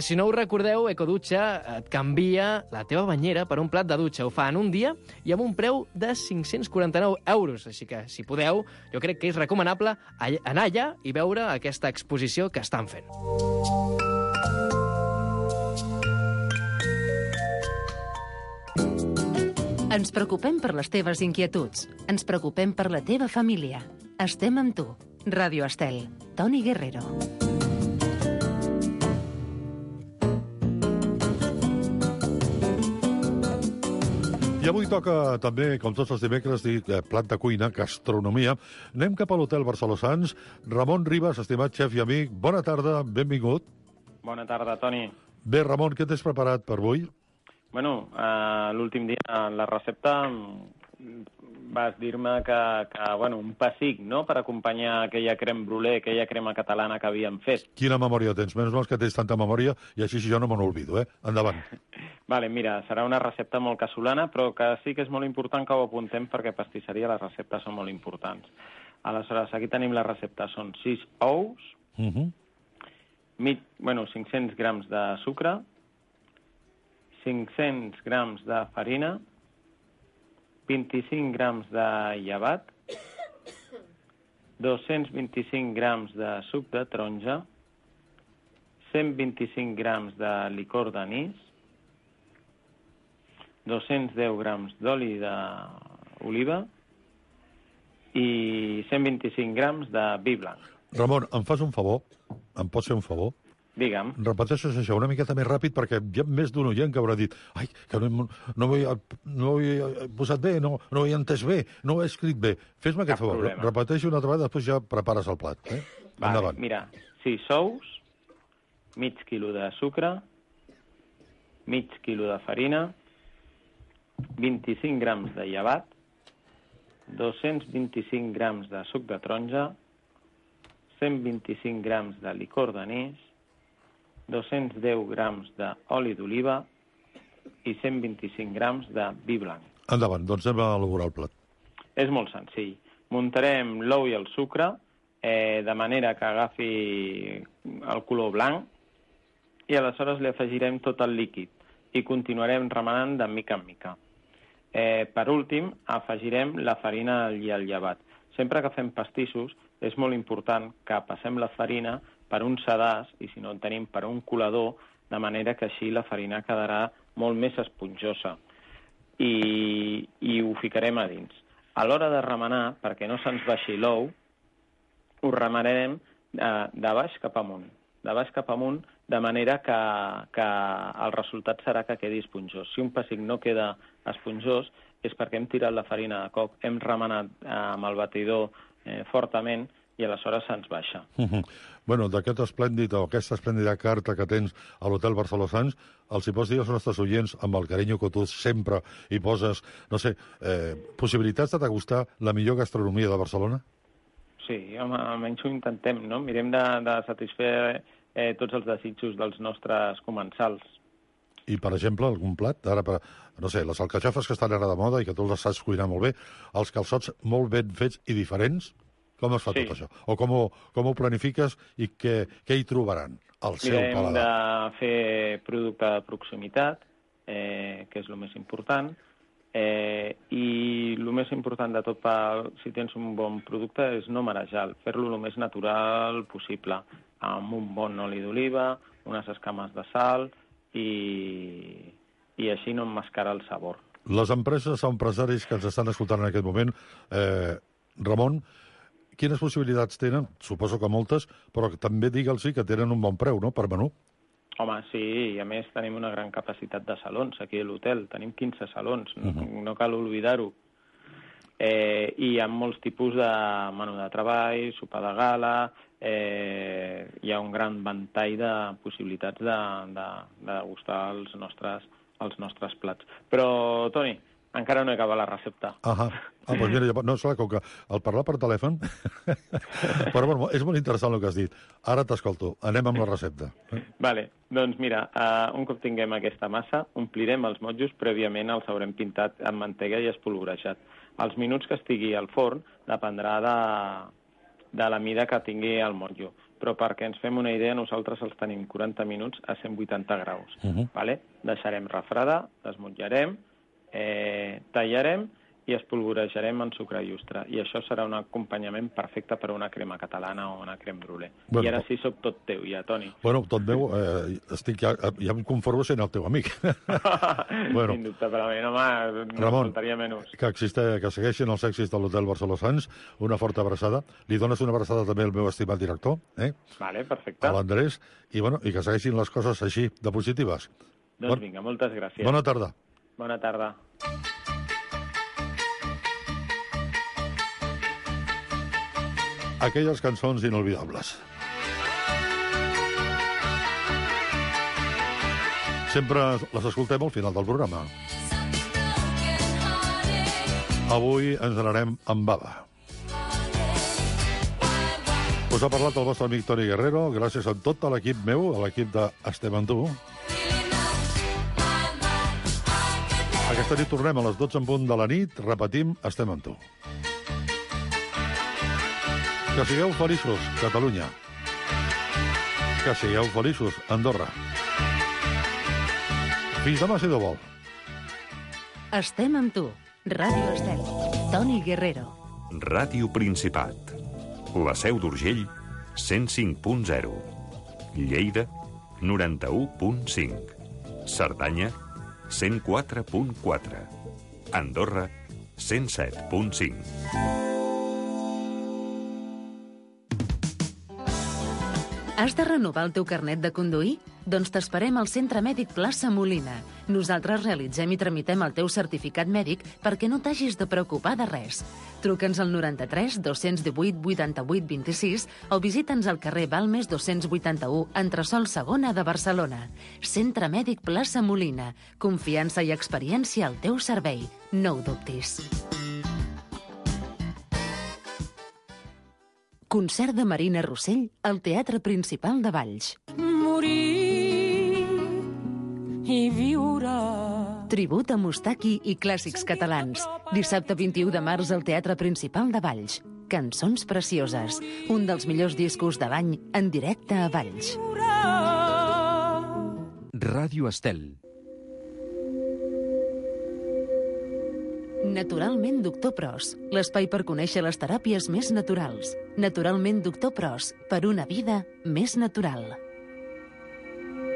Si no ho recordeu, Ecodutxa et canvia la teva banyera per un plat de dutxa. Ho fa en un dia i amb un preu de 549 euros. Així que, si podeu, jo crec que és recomanable anar allà i veure aquesta exposició que estan fent. Ens preocupem per les teves inquietuds. Ens preocupem per la teva família. Estem amb tu. Ràdio Estel. Toni Guerrero. I avui toca també, com tots els dimecres, dir plat de cuina, gastronomia. Anem cap a l'Hotel Barceló Sants. Ramon Ribas, estimat xef i amic, bona tarda, benvingut. Bona tarda, Toni. Bé, Ramon, què t'has preparat per avui? Bueno, l'últim dia la recepta vas dir-me que un pessic, no?, per acompanyar aquella crème brûlée, aquella crema catalana que havíem fet. Quina memòria tens? Menys mal que tens tanta memòria i així jo no me n'olvido, Endavant. Vale, mira, serà una recepta molt casolana, però que sí que és molt important que ho apuntem perquè pastisseria les receptes són molt importants. Aleshores, aquí tenim la recepta. Són 6 ous, 500 grams de sucre, 500 grams de farina, 25 grams de llevat, 225 grams de suc de taronja, 125 grams de licor d'anís, 210 grams d'oli d'oliva i 125 grams de vi blanc. Ramon, em fas un favor? Em pots fer un favor? Digue'm. Repeteixes això una miqueta més ràpid perquè hi ha més d'un oient que haurà dit que no ho he posat bé, no ho he entès bé, no ho he escrit bé. Fes-me aquest favor. Repeteixo una altra vegada, després ja prepares el plat. Vale, mira, 6 ous, mig quilo de sucre, mig quilo de farina, 25 grams de llevat, 225 grams de suc de taronja, 125 grams de licor d'anís, 210 grams d'oli d'oliva i 125 grams de vi blanc. Endavant, doncs anem a elaborar el plat. És molt senzill. Muntarem l'ou i el sucre de manera que agafi el color blanc i aleshores li afegirem tot el líquid i continuarem remenant de mica en mica. Per últim, afegirem la farina i el llevat. Sempre que fem pastissos és molt important que passem la farina per un sedàs i, si no en tenim, per un colador, de manera que així la farina quedarà molt més esponjosa. I ho ficarem a dins. A l'hora de remenar, perquè no se'ns baixi l'ou, ho remenarem de baix cap amunt. De baix cap amunt, de manera que el resultat serà que quedi esponjós. Si un pessic no queda esponjós és perquè hem tirat la farina de cop, hem remenat amb el batidor fortament i aleshores se'ns baixa. Bueno, d'aquest esplèndid o aquesta esplèndida carta que tens a l'Hotel Barceló Sants, els hi pots dir als nostres oients, amb el carinyo que tu sempre hi poses, no sé, possibilitats de degustar la millor gastronomia de Barcelona? Sí, home, almenys ho intentem, no? Mirem de satisfer tots els desitjos dels nostres comensals. I, per exemple, algun plat? Ara, no sé, les alcachofes que estan ara de moda i que tu les saps cuinar molt bé, els calçots molt ben fets i diferents, com es fa tot això? O com ho planifiques i què hi trobaran al seu paladar? Mirem de fer producte de proximitat, que és el més important, i el més important de tot, si tens un bon producte, és no marejar, fer-lo el més natural possible, amb un bon oli d'oliva, unes escames de sal i així no emmascarar el sabor. Les empreses o empresaris que ens estan escoltant en aquest moment, Ramon, quines possibilitats tenen? Suposo que moltes, però també digue'ls que tenen un bon preu, no?, per menú. Home, sí, i a més tenim una gran capacitat de salons aquí a l'hotel. Tenim 15 salons, no cal oblidar-ho. I hi ha molts tipus de menú de treball, sopar de gala, hi ha un gran ventall de possibilitats de degustar els nostres plats. Però, Toni, encara no he acabat la recepta. Doncs mira, no, és clar, com que el parlar per telèfon... Però bueno, és molt interessant el que has dit. Ara t'escolto. Anem amb la recepta. Vale, doncs mira, un cop tinguem aquesta massa, omplirem els motllos, prèviament els haurem pintat amb mantega i espolvorejat. Els minuts que estigui al forn dependrà de la mida que tingui el motllo. Però perquè ens fem una idea, nosaltres els tenim 40 minuts a 180 graus. Vale? Deixarem refredar, desmotllarem, tallarem i espolvorejarem en sucre llustre. I això serà un acompanyament perfecte per a una crema catalana o una crème brûlée. I ara sí soc tot teu, ja, Toni. Bueno, tot meu, ja em conformo sent el teu amic. Sin dubte, per a mi, home, no faltaria menys. Que segueixin els èxits de l'Hotel Barceló Sants, una forta abraçada. Li dones una abraçada també al meu estimat director, Vale, perfecte. A l'Andrés, i que segueixin les coses així de positives. Doncs vinga, moltes gràcies. Bona tarda. Bona tarda. Aquelles cançons inolvidables. Sempre les escoltem al final del programa. Avui ens n'anem amb bava. Us ha parlat el vostre amic Toni Guerrero, gràcies a tot l'equip meu, a l'equip d'Estem amb tu. Aquesta nit tornem a les 12 en punt de la nit, repetim, Estem amb tu. Que sigueu feliços, Catalunya. Que sigueu feliços, Andorra. Fins demà, si Déu vol. Estem amb tu. Ràdio Estel. Toni Guerrero. Ràdio Principat. La Seu d'Urgell, 105.0. Lleida, 91.5. Cerdanya, 104.4. Andorra, 107.5. Has de renovar el teu carnet de conduir? Doncs t'esperem al Centre Mèdic Plaça Molina. Nosaltres realitzem i tramitem el teu certificat mèdic perquè no t'hagis de preocupar de res. Truca'ns al 93 218 88 26 o visita'ns al carrer Balmes 281, entresòl segona de Barcelona. Centre Mèdic Plaça Molina. Confiança i experiència al teu servei. No ho dubtis. Concert de Marina Rossell al Teatre Principal de Valls. Morir i viure. Tribut a Mustaki i clàssics catalans. Dissabte 21 de març al Teatre Principal de Valls. Cançons precioses. Un dels millors discos de l'any en directe a Valls. Ràdio Estel. Naturalment Doctor Pros, l'espai per conèixer les teràpies més naturals. Naturalment Doctor Pros, per una vida més natural.